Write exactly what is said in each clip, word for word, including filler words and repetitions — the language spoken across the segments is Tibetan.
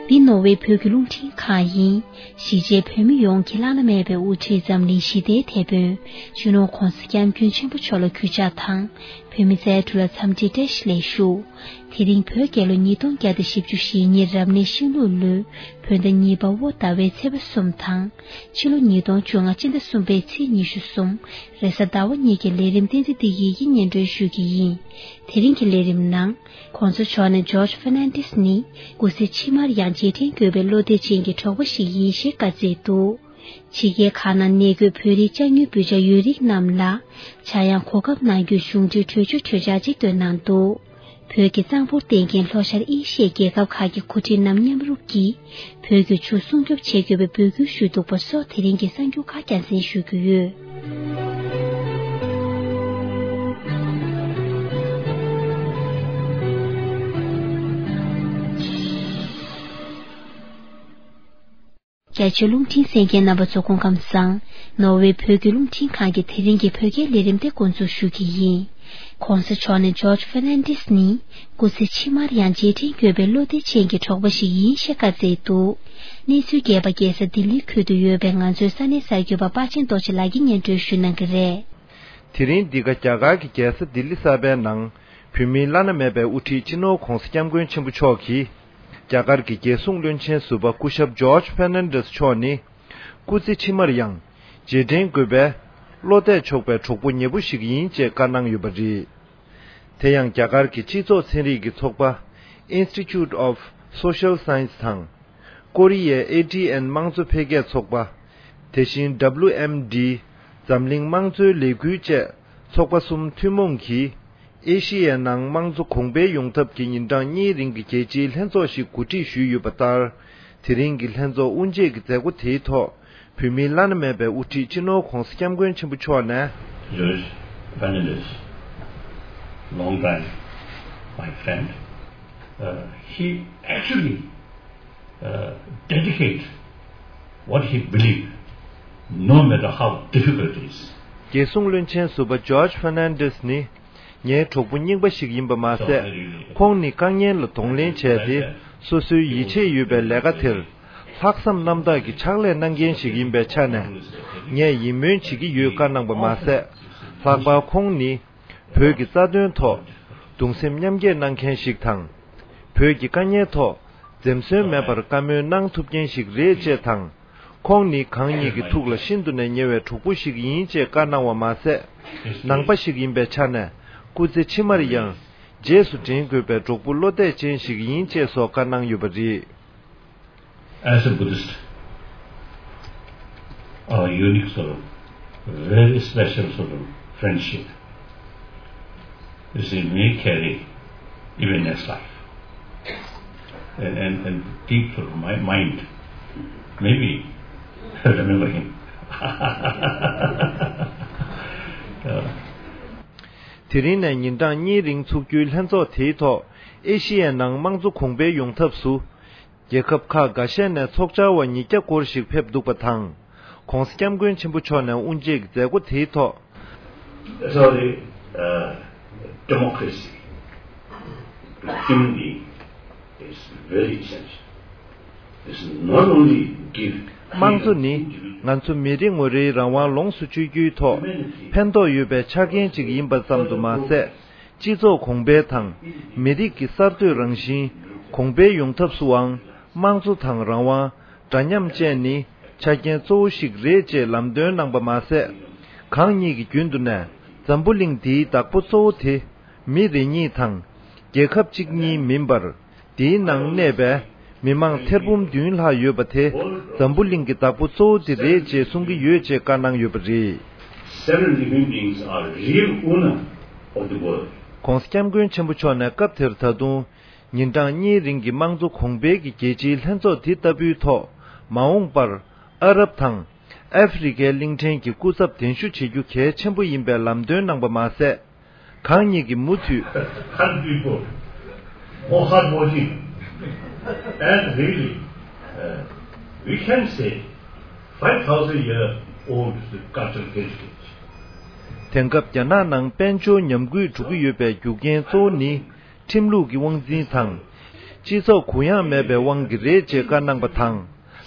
འདི་ནོར་ཝེ་བོད་ཀྱི་རླུང་འཕྲིན་ཁང་ཡིན། གཞིས་བྱེས་བོད་མི་ཡོངས་ཀྱི་བླ་ན་མེད་པའི་དབུ་ཁྲིད་འཛམ་གླིང་ཞི་བདེའི་དེད་དཔོན་སྤྱི་ནོར་༧གོང་ས་༧སྐྱབས་མགོན་ཆེན་པོ་མཆོག་ལ་གུས་ཕྱག་དང་། བོད་མི་རྩ་དྲུག་ལ་འཚམས་འདྲིའི་བཀྲ་ཤིས་བདེ་ལེགས་ཞུ། དེ་རིང་བོད་རྒྱལ་ལོ་ཉིས་སྟོང་བརྒྱ་དང་བཞི་བཅུ་ཞེ་གཉིས་རབ་གནས་ཤིང་ལུག་ལོའི་བོད་ཟླ་གཉིས་པ་བོད་ཟླ་བའི་ཚེས་པ་གསུམ་དང་། ཕྱི་ལོ་ཉིས་སྟོང་བཅོ་ལྔ་སྤྱི་ཟླ་གསུམ་པའི་ཚེས་ཉི་ཤུ་གསུམ་རེས་གཟའ་ཟླ་བ་ཉིན་གྱི་ལས་རིམ་བསྟན་འཛིན་བདེ་སྐྱིད་ཀྱིས་སྙན་སྒྲོན་ཞུ་གི་ཡིན། དེ་རིང་གི་ལས་རིམ་ནང་། ྋགོང་ས་མཆོག་ནས་ཇོརྗ་ཧྥེར་ནན་ཌེས་ནི་སྐུ་ཚེ་ཕྱི་མར་ཡང་རྗེས་དྲན་དགོས་པའི་བློ་གཏད་ཅན་གྱི་གྲོགས་པོ་ཞིག་ཡིན་ཞེས་བཀའ་སྩལ་འདུག་ཕྱི་རྒྱལ་ཁག་ནང་གནས་འཁོད་བོད་རིགས་ཅ་དངོས་བོད་ཇ་ཡོད་རིགས་རྣམས་ལ་ཆག་ཡང་གོ་སྐབས་གནང་རྒྱུའི་གཞུང་འབྲེལ་གྲོས་ཆོད་གྲོས་འཆར་ཅིག་བཏོན་གནང་འདུག་བོད་ཀྱི་གཙང་པོར་བརྟེན་མཁན་ལྷོ་ཤར་ཨེ་ཤི་ཡའི་རྒྱལ་ཁབ་ཁག་གི་འགོ་ཁྲིད་རྣམས་མཉམ་རུབ་ཀྱིས་བོད་ཀྱི་ཆུ་སྲུང་སྐྱོབ་བྱེད་དགོས་པའི་འབོད་སྐུལ་ཞུས་འདུག་པ་སོགས་དེ་རིང་གི་གསར་འགྱུར་ཁག་རྒྱང་སྲིང་ཞུ་རྒྱུ་ཡོད། རྒྱ་ཆེའི་རླུང་འཕྲིན་གསན་མཁན་རྣམ་པ་ཚོ་སྐུ་ཁམས་བཟང་། ནོར་ཝེ་བོད་ཀྱི་རླུང་འཕྲིན་ཁང་གི་དེ་རིང་གི་བོད་སྐད་ལས་རིམ་དེ་འགོ་འཛུགས་ཞུ་གི་ཡིན། ྋགོང་ས་མཆོག་ནས་ཇོརྗ་ཧྥེར་ནན་ཌེས་ནི་སྐུ་ཚེ་ཕྱི་མར་ཡང་རྗེས་དྲན་དགོས་པའི་བློ་གཏད་ཅན་གྱི་གྲོགས་པོ་ཞིག་ཡིན་ཞེས་བཀའ་སྩལ་འདུག་གནས་ཚུལ་རྒྱས་པ་རྒྱལ་ས་ལྡི་ལིའི་ཁུལ་དུ་ཡོད་པའི་ང་ཚོའི་ས་གནས་གསར་འགོད་པ་པ་ཆེན་རྡོ་རྗེ་ལགས་ཀྱིས་སྙན་སྒྲོན་ཞུ་གནང་གི་རེད། དེ་རིང་འདི་ག་རྒྱ་གར་གྱི་རྒྱལ་ས་ལྡི་ལི་གསར་པའི་ནང་བོད་མིའི་བླ་ན་མེད་པའི་དབུ་ཁྲིད་སྤྱི་ནོར་ྋགོང་ས་ྋསྐྱབས་མགོན་ཆེན་པོ་མཆོག་གིས། རྒྱ་གར་གྱི་རྒྱལ་སྲུང་བློན་ཆེན་ཟུར་པ་སྐུ་ཞབས་ཇོརྗ་ཧྥེར་ནན་ཌེས་མཆོག་ནི། སྐུ་ཚེ་ཕྱི་མར་ཡང་རྗེས་དྲན་དགོས་པའི་བློ་གཏད་ཆོག་པའི་གྲོགས་པོ་ཉེ་པོ་ཞིག་ཡིན་ཅེས་བཀའ་གནང་ཡོད་པ་རེད། དེ་ཡང་རྒྱ་གར་གྱི་སྤྱི་ཚོགས་ཚན་རིག་གི་ཚོགས་པ་Institute of Social Science དང་། ཀོ་རི་ཡའི་ཨེ་ཊི་ཨེན་དམངས་གཙོ་འཕེལ་རྒྱས་ཚོགས་པ། དེ་བཞིན་ཌབ་ལུ་ཨེམ་ཌི། འཛམ་གླིང་དམངས་གཙོའི་ལས་འགུལ་བཅས་ཚོགས་པ་གསུམ་ཐུན་མོང་གིས། ཨེ་ཤི་ཡའི་ནང་དམངས་གཙོ་གོང་འཕེལ་ཡོང་ཐབས་ཀྱི་ཉིན་གྲངས་གཉིས་རིང་གི་རྒྱལ་སྤྱིའི་ལྷན་ཚོགས་ཤིག་གོ་སྒྲིག་ཞུས་ཡོད་པ་ལྟར། དེ་རིང་གི་ལྷན་ཚོགས་དབུ་འབྱེད་ཀྱི་མཛད་སྒོ་དེའི་ཐོག་བོད་མིའི་བླ་ན་མེད་པའི་དབུ་ཁྲིད་སྤྱི་ནོར་༧གོང་ས་༧སྐྱབས་མགོན་ཆེན་པོ་མཆོག་ནས། George Fernandez, long time my friend, uh, he actually, uh, dedicate what he believe, no matter how difficult it is. རྒྱལ་སྲུང་བློན་ཆེན་ཟུར་པ་ཇོརྗ་ཧྥེར་ནན་ཌེས་ནི། ངའི་གྲོགས་པོ་རྙིང་པ་ཞིག་ཡིན་པ་མ་ཟད། ཁོང་ནི་དཀའ་ངལ་ལ་གདོང་ལེན་བྱས་ཏེ། སོ་སོའི་ཡིད་ཆེས་ཡོད་པའི་ལས་ཀ་དེར། ལྷག་བསམ་རྣམ་དག་གིས་ཕྱག་ལས་གནང་མཁན་ཞིག་ཡིན་པའི་ཆ་ནས། ངས་ཡིད་སྨོན་བྱེད་ཀྱི་ཡོད་བཀའ་གནང་པ་མ་ཟད། ལྷག་པར་ཁོང་ནི། བོད་ཀྱི་རྩ་དོན་ཐོག་གདུང་སེམས་མཉམ་སྐྱེད་གནང་མཁན་ཞིག་དང་། བོད་ཀྱི་དཀའ་ཉེན་ཐོག་འཛེམ་ཟོན་མེད་པར་བཀའ་མོལ་གནང་ཐུབ་མཁན་ཞིག་རེད་ཅེས་དང་། ཁོང་ནི་གང་ཉིད་ཀྱི་ཐུགས་ལ་ཤིན་ཏུ་ནས་ཉེ་བའི་གྲོགས་པོ་ཞིག་ཡིན་ཅེས་བཀའ་གནང་བ་མ་ཟད། ནང་པ་ཞིག་ཡིན་པའི་ཆ་ནས་སྐུ་ཚེ་ཕྱི་མར་ཡང་རྗེས་སུ་དྲན་དགོས་པའི་གྲོགས་པོ་བློ་གཏད་ཅན་ཞིག་ཡིན་ཅེས་སོགས་བཀའ་གནང་ཡོད་པ་རེད། As a Buddhist, our unique sort of, very special sort of friendship, you see, may carry even next life. And, and, and deep sort of my mind, maybe remember him. དེ་རིང་ནས་ཉིན་གྲངས་གཉིས་རིང་ཚུགས་རྒྱུའི་ལྷན་ཚོགས་དེའི་ཐོག་ཨེ་ཤི་ཡའི་ནང་དམངས་གཙོ་གོང་འཕེལ་ཡོང་ཐབས་སུ། རྒྱལ་ཁབ་ཁག་འགའ་ཤས་ནས་ཚོགས་བཅར་བ་ཉིས་བརྒྱ་སྐོར་ཞིག་ཕེབས་འདུག་པ་དང་། ྋགོང་ས་ྋསྐྱབས་མགོན་ཆེན་པོ་མཆོག་ནས་དབུ་འབྱེད་ཀྱི་མཛད་སྒོ་དེའི་ཐོག Sorry, uh, democracy, human being is very essential. It's not only give དམངས་གཙོ་ནི་ང་ཚོ་མི་རེ་ངོ་རེའི་རང་དབང་ལོངས་སུ་སྤྱོད་རྒྱུའི་ཐོག་ཕན་ཐོགས་ཡོད་པའི་ཆ་རྐྱེན་ཅིག་ཡིན་པ་ཙམ་དུ་མ་ཟད། སྤྱི་ཚོགས་གོང་འཕེལ་དང་། མི་རིགས་ཀྱི་གསར་གཏོད་རང་བཞིན་གོང་འཕེལ་ཡོང་ཐབས་སུའང་དམངས་གཙོ་དང་རང་དབང་། འདྲ་མཉམ་བཅས་ནི་ཆ་རྐྱེན་གཙོ་བོ་ཞིག་རེད་ཅེས་ལམ་སྟོན་གནང་པ་མ་ཟད། གང་ཉིད་ཀྱི་རྒྱུན་དུ་ནས་འཛམ་བུ་གླིང་འདིའི་བདག་པོ་གཙོ་བོ་དེ་མི་རེ་གཉིས་དང་རྒྱལ་ཁབ་གཅིག་གཉིས་མིན་པར། འདིའི་ནང་གནས་པའི་མི་མང་ཐེར་འབུམ་བདུན་ལྷག་ཡོད་པ་དེ་འཛམ་བུ་གླིང་གི་བདག་པོ་གཙོ་བོ་དེ་རེད་ཅེས་གསུང་གི་ཡོད་ཅེས་བཀའ་གནང་ཡོད་པ་རེད། Seven living beings are real owner of the world. ྋགོང་ས་ྋསྐྱབས་མགོན་ཆེན་པོ་མཆོག་ནས་སྐབས་དེར་ད་དུང་ཉིན་གྲངས་གཉིས་རིང་གི་དམངས་གཙོ་གོང་འཕེལ་གྱི་རྒྱལ་སྤྱིའི་ལྷན་ཚོགས་འདི་ལྟ་བུའི་ཐོག་མ་འོངས་པར་ཨ་རབ་དང་ཨ་ཧྥེ་རི་ཁའི་གླིང་ཕྲན་གྱི་སྐུ་ཚབ་གདན་ཞུ་བྱེད་རྒྱུ་གལ་ཆེན་པོ་ཡིན་པའི་ལམ་སྟོན་གནང་པ་མ་ཟད། གང་ཉིད་ཀྱིས་མུ་མཐུད། Hard people, more hardworking, and really, uh, we can say, five thousand year old cultural heritage. དེང་སྐབས་རྒྱ་ནག་ནང་དཔལ་འབྱོར་ཉམས་རྒུད་འགྲོ་གི་ཡོད་པའི་རྒྱུ་རྐྱེན་གཙོ་བོ་ནི། ཁྲིམས་ལུགས་ཀྱི་དབང་འཛིན་དང་། སྤྱི་ཚོགས་གུ་ཡངས་མེད་པའི་དབང་གིས་རེད་ཅེས་བཀའ་གནང་པ་དང་།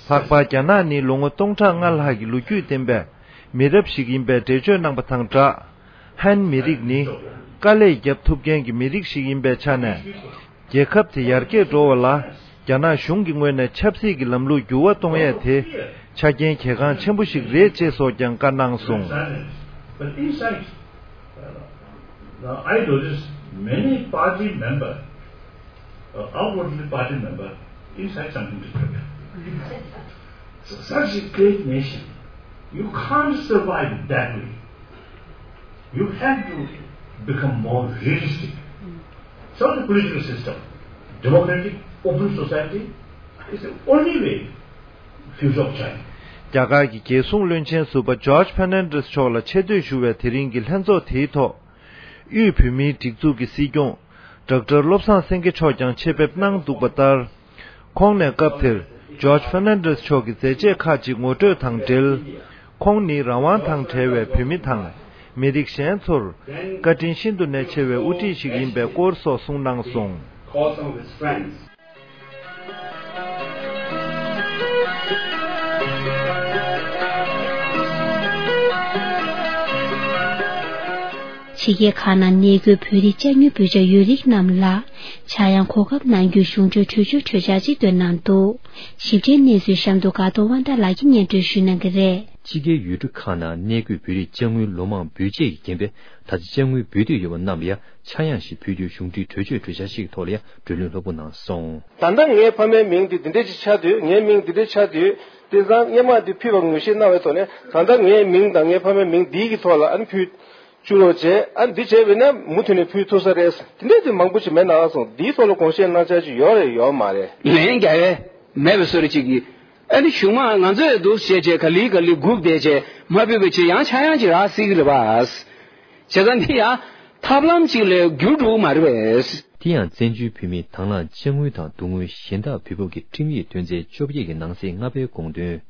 ལྷག་པར་རྒྱ་ནག་ནི་ལོ་ངོ་སྟོང་ཕྲག་ལྔ་ལྷག་གི་ལོ་རྒྱུས་ལྡན་པའི་མི་རབས་ཤིག་ཡིན་པའི་འགྲེལ་བརྗོད་གནང་པ་དང་སྦྲགས། ཧན་མི་རིགས་ནི་དཀའ་ལས་བརྒྱབ་ཐུབ་མཁན་གྱི་མི་རིགས་ཤིག་ཡིན་པའི་ཆ་ནས། རྒྱལ་ཁབ་དེ་ཡར་རྒྱས་འགྲོ་བ་ལ་རྒྱ་ནག་གཞུང་གི་ངོས་ནས་ཆབ་སྲིད་ཀྱི་ལམ་ལུགས་འགྱུར་བ་གཏོང་ཡས་དེ་ཆ་རྐྱེན་གལ་འགངས་ཆེན་པོ་ཞིག་རེད་ཅེས་སོགས་ཀྱང་བཀའ་གནང་སོང་། But inside, uh, now I notice many party member, uh, outwardly party member, inside something different. So such a great nation, you can't survive that way. You have to become more realistic. So the political system, democratic, open society is the only way future of China. རྒྱ་གར་གྱི་རྒྱལ་སྲུང་བློན་ཆེན་ཟུར་པ་ཇོརྗ་ཕེར་ནན་ཌེས་མཆོག་ལ་ཆེ་བསྟོད་ཞུ་བའི་དེ་རིང་གི་ལྷན་ཚོགས་དེའི་ཐོག་དབུས་བོད་མིའི་སྒྲིག་འཛུགས་ཀྱི་སྲིད་སྐྱོང་ཌོག་ཊར་བློ་བཟང་སེང་གེ་མཆོག་ཀྱང་ཆེད་ཕེབས་གནང་འདུག་པ་ལྟར། ཁོང་ནས་སྐབས་དེར་ཇོརྗ་ཕེར་ནན་ཌེས་མཆོག་གི་མཛད་རྗེས་ཁག་ཅིག་ངོ་སྤྲོད་དང་འབྲེལ། ཁོང་ནི་རང་དབང་དང་བྲལ་བའི་བོད་མི་དང་མི་རིགས་གཞན་ཚོར་བཀའ་དྲིན་ཤིན་ཏུ་ནས་ཆེ་བའི་དབུ་ཁྲིད་ཞིག་ཡིན་པའི་སྐོར་སོགས་གསུངས་གནང་སོང་། Call some of his friends. ཕྱི་རྒྱལ་ཁག་ནང་གནས་འཁོད་བོད་རིགས་དཔྱ་དངུལ་འབུལ་བྱ་ཡོད་རིགས་རྣམས་ལ་ཆག་ཡང་གོ་སྐབས་གནང་རྒྱུའི་གཞུང་འབྲེལ་གྲོས་ཆོད་གྲོས་འཆར་ཅིག་བཏོན་གནང་འདུག་ཞིབ་ཕྲའི་གནས་ཚུལ་གཤམ་དུ་དགའ་གདོང་དབང་ཐང་ལགས་ཀྱིས་སྙན་སྒྲོན་ཞུ་གནང་གི་རེད། ཕྱི་རྒྱལ་ཡུལ་གྲུ་ཁག་ནང་གནས་འཁོད་བོད་རིགས་དཔྱ་དངུལ་ལོ་མང་འབུལ་བཅས་ཀྱི་རྐྱེན་པས། ད་ཆ་དཔྱ་དངུལ་འབུལ་འདོད་ཡོད་པ་རྣམས་ལ་ཡང་ཆག་ཡང་ཞིག་ཕུལ་རྒྱུའི་གཞུང་འབྲེལ་གྲོས་ཆོད་གྲོས་འཆར་ཞིག་གི་ཐོག་ལ་ཡང་བགྲོ་གླེང་ལྷུག་པོ་གནང་སོང་། ད་ལྟ་ངའི་ཕ་མའི་མིང་འདི་འདི་འདྲ་ཞིག་ཆགས་དུས། ངའི་མིང་འདི་འདྲ་ཆགས་དུས། དེང་སང་སྔོན་མ་འདི་ཕུལ་བར་ངོས་བཞེས་གནང་བའི་ཐོག་ནས། ད་ལྟ་ངའི་མིང་དང་ངའི་ཕ་མའི་མིང་འདིའི་གི་ཐོག་ལ་ཨ་ནི་ཕུལ་བཅུག་རོགས་བྱས། ཨ་ནི་འདི་བྱས་པས་ན་མུ་མཐུད་ནས་ཕུལ་ཐུབ་ས་རེད། དེ་འདྲ་དེ་མང་པོ་ཞིག་མེད་ན་ཨ་སོང་། འདིའི་ཐོག་ལ་དགོངས་བཞེས་གནང་འཆར་ཅིག་ཡོད་རེད་ཡོད་མ་རེད། ལན་རྒྱག་ཡས་མེད་པའི་བཟོ་འདྲ་ཅིག་གིས། ཨ་ནི་གཞུག་མ་ང་ཚོས་འདུག་བྱས་བྱས་ག་ལེ་ག་ལེ་སྒུག་བསྡད་བྱས་མ་ཕུལ་བའི་ཕྱིར་ཡང་ཆག་ཡང་ཅིག་རག་སྲིད་ཀྱི་རེད་པ། བྱས་ཙང་འདི་ཡང་ཐབས་ལམ་ཅིག་ལས་འགྱུར་འགྲོ་གི་མ་རེད་པས། དེ་ཡང་བཙན་བྱོལ་བོད་མིའི་དང་བླངས་དཔྱ་དངུལ་དང་བསྡུ་དངུལ་གཞན་དག་འབུལ་ཕབ་ཀྱི་ཁྲིམས་ཡིག་དོན་ཚན་བཅོ་བརྒྱད་ཀྱི་ནང་གསེས་ལྔ་པའི་དགོངས་དོན།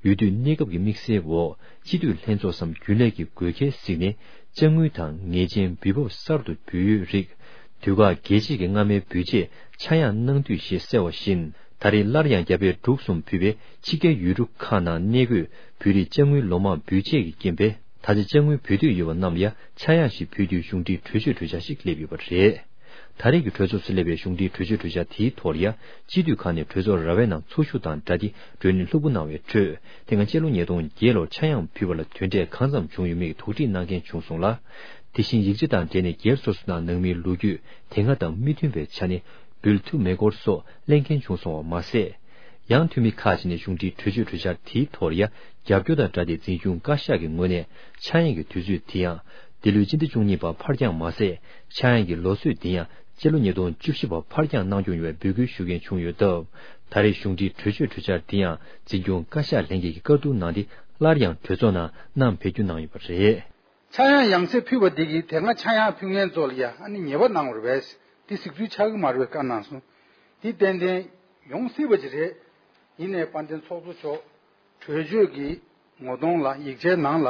ཡུལ་དུས་གནས་སྐབས་ཀྱི་དམིགས་བསལ་འོག་སྤྱི་འཐུས་ལྷན་ཚོགས་སམ་རྒྱུན་ལས་ཀྱི་དགོས་གལ་གཟིགས་ནས་དཔྱ་དངུལ་དང་ངེས་ཅན་འབུལ་ཕབ་གསར་དུ་འབུལ་ཡོད་རིགས། དུས་བཀག་རྒྱས་བཅད་ཀྱི་སྔ་མའི་འབུལ་ཆད་ཆག་ཡང་གནང་དུས་ཞེས་གསལ་བ་བཞིན། ད་རེས་སླར་ཡང་རྒྱ་བལ་འབྲུག་གསུམ་ཕུད་པའི་ཕྱི་རྒྱལ་ཡུལ་གྲུ་ཁག་ནང་གནས་འཁོད་བོད་རིགས་དཔྱ་དངུལ་ལོ་མང་འབུལ་ཆད་ཀྱི་རྐྱེན་པས། ད་ཆ་དཔྱ་དངུལ་འབུལ་འདོད་ཡོད་པ་རྣམས་ལ་ཡང་ཆག་ཡང་ཞིག་ཕུལ་རྒྱུའི་གཞུང་འབྲེལ་གྲོས་ཆོད་གྲོས་འཆར་ཞིག་སླེབས་ཡོད་པ་རེད། ད་རེས་ཀྱི་གྲོས་ཚོགས་སུ་སླེབས་པའི་གཞུང་འབྲེལ་གྲོས་ཆོད་གྲོས་འཆར་དེའི་ཐོག་ལ་ཡང་སྤྱི་འཐུས་ཁག་ནས་གྲོས་ཚོགས་ར་བའི་ནང་ཚོགས་ཞུགས་དང་སྦྲགས་ཏེ་བགྲོ་གླེང་ལྷུག་པོ་གནང་བའི་ཁྲོད། དེ་སྔ་སྤྱི་ལོ་ཉིས་སྟོང་བརྒྱད་ལོར་ཆག་ཡང་ཕུལ་བ་ལ་དོན་འབྲས་གང་ཙམ་བྱུང་ཡོད་མེད་ཀྱི་དོགས་འདྲི་གནང་མཁན་བྱུང་སོང་ལ། དེ་བཞིན་ཡིག་ཆ་དང་འབྲེལ་ནས་སྒེར་སོ་སོ་དང་ནང་མིའི་ལོ་རྒྱུས་དེ་སྔ་དང་མི་མཐུན་པའི་ཆ་ནས་འབུལ་ཐུབ་མེད་སྐོར་སོགས་གླེང་མཁན་བྱུང་སོང་བ་མ་ཟད། ཡང་འཐུས་མི་ཁག་ཅིག་ནས་གཞུང་འབྲེལ་གྲོས་ཆོད་གྲོས་འཆར་དེའི་ཐོག་ལ་ཡང་རྒྱབ་སྐྱོར་དང་སྦྲགས་ཏེ་འཛིན་སྐྱོང་བཀའ་ཤག་གི་ངོས་ནས་ཆག་ཡང་གི་དུས་ཚོད་དེ་ཡང་འདི་ལོའི་སྤྱི་ཟླ་བཅུ་གཉིས་པར་ཕར་འགྱངས་མ་ཟད། ཆག་ཡང་གི་ལོ་ཚོད་དེ་ཡང་སྤྱི་ལོ་ཉིས་སྟོང་བཅུ་བཞི་བར་ཕར་འགྱངས་གནང་སྐྱོང་ཡོང་བའི་འབོད་སྐུལ་ཞུ་མཁན་བྱུང་ཡོད་སྟབས། ད་རེས་གཞུང་འབྲེལ་གྲོས་ཆོད་གྲོས་འཆར་དེ་ཡང་འཛིན་སྐྱོང་བཀའ་ཤག་ལྷན་རྒྱས་ཀྱིས་བཀའ་བསྡུར་གནང་སྟེ་སླར་ཡང་གྲོས་ཚོགས་ནང་བསྣམས་འཕེལ་རྒྱུ་གནང་ཡོད་པ་རེད། ཆག་ཡང་ཡང་སེ་ཕུལ་བ་དེ་གིས་དེ་སྔ་ཆག་ཡང་ཕུལ་མཁན་ཚོ་ལ་ཡང་ཨ་ནི་ཉེས་པ་གནང་བ་རེད་པས། དེ་གཟིགས་ཚུལ་ཆགས་ཀྱི་མ་རེད་པས་བཀའ་གནང་སོང་། དེ་ཏན་ཏན་ཡོང་སྲིད་པ་ཅིག་རེད། ཡིན་ནའི་དཔལ་ལྡན་ཚོགས་གཙོ་མཆོག་གྲོས་ཆོད་ཀྱི་ངོ་གདོང་ལ་ཡིག་ཆའི་ནང་ལ་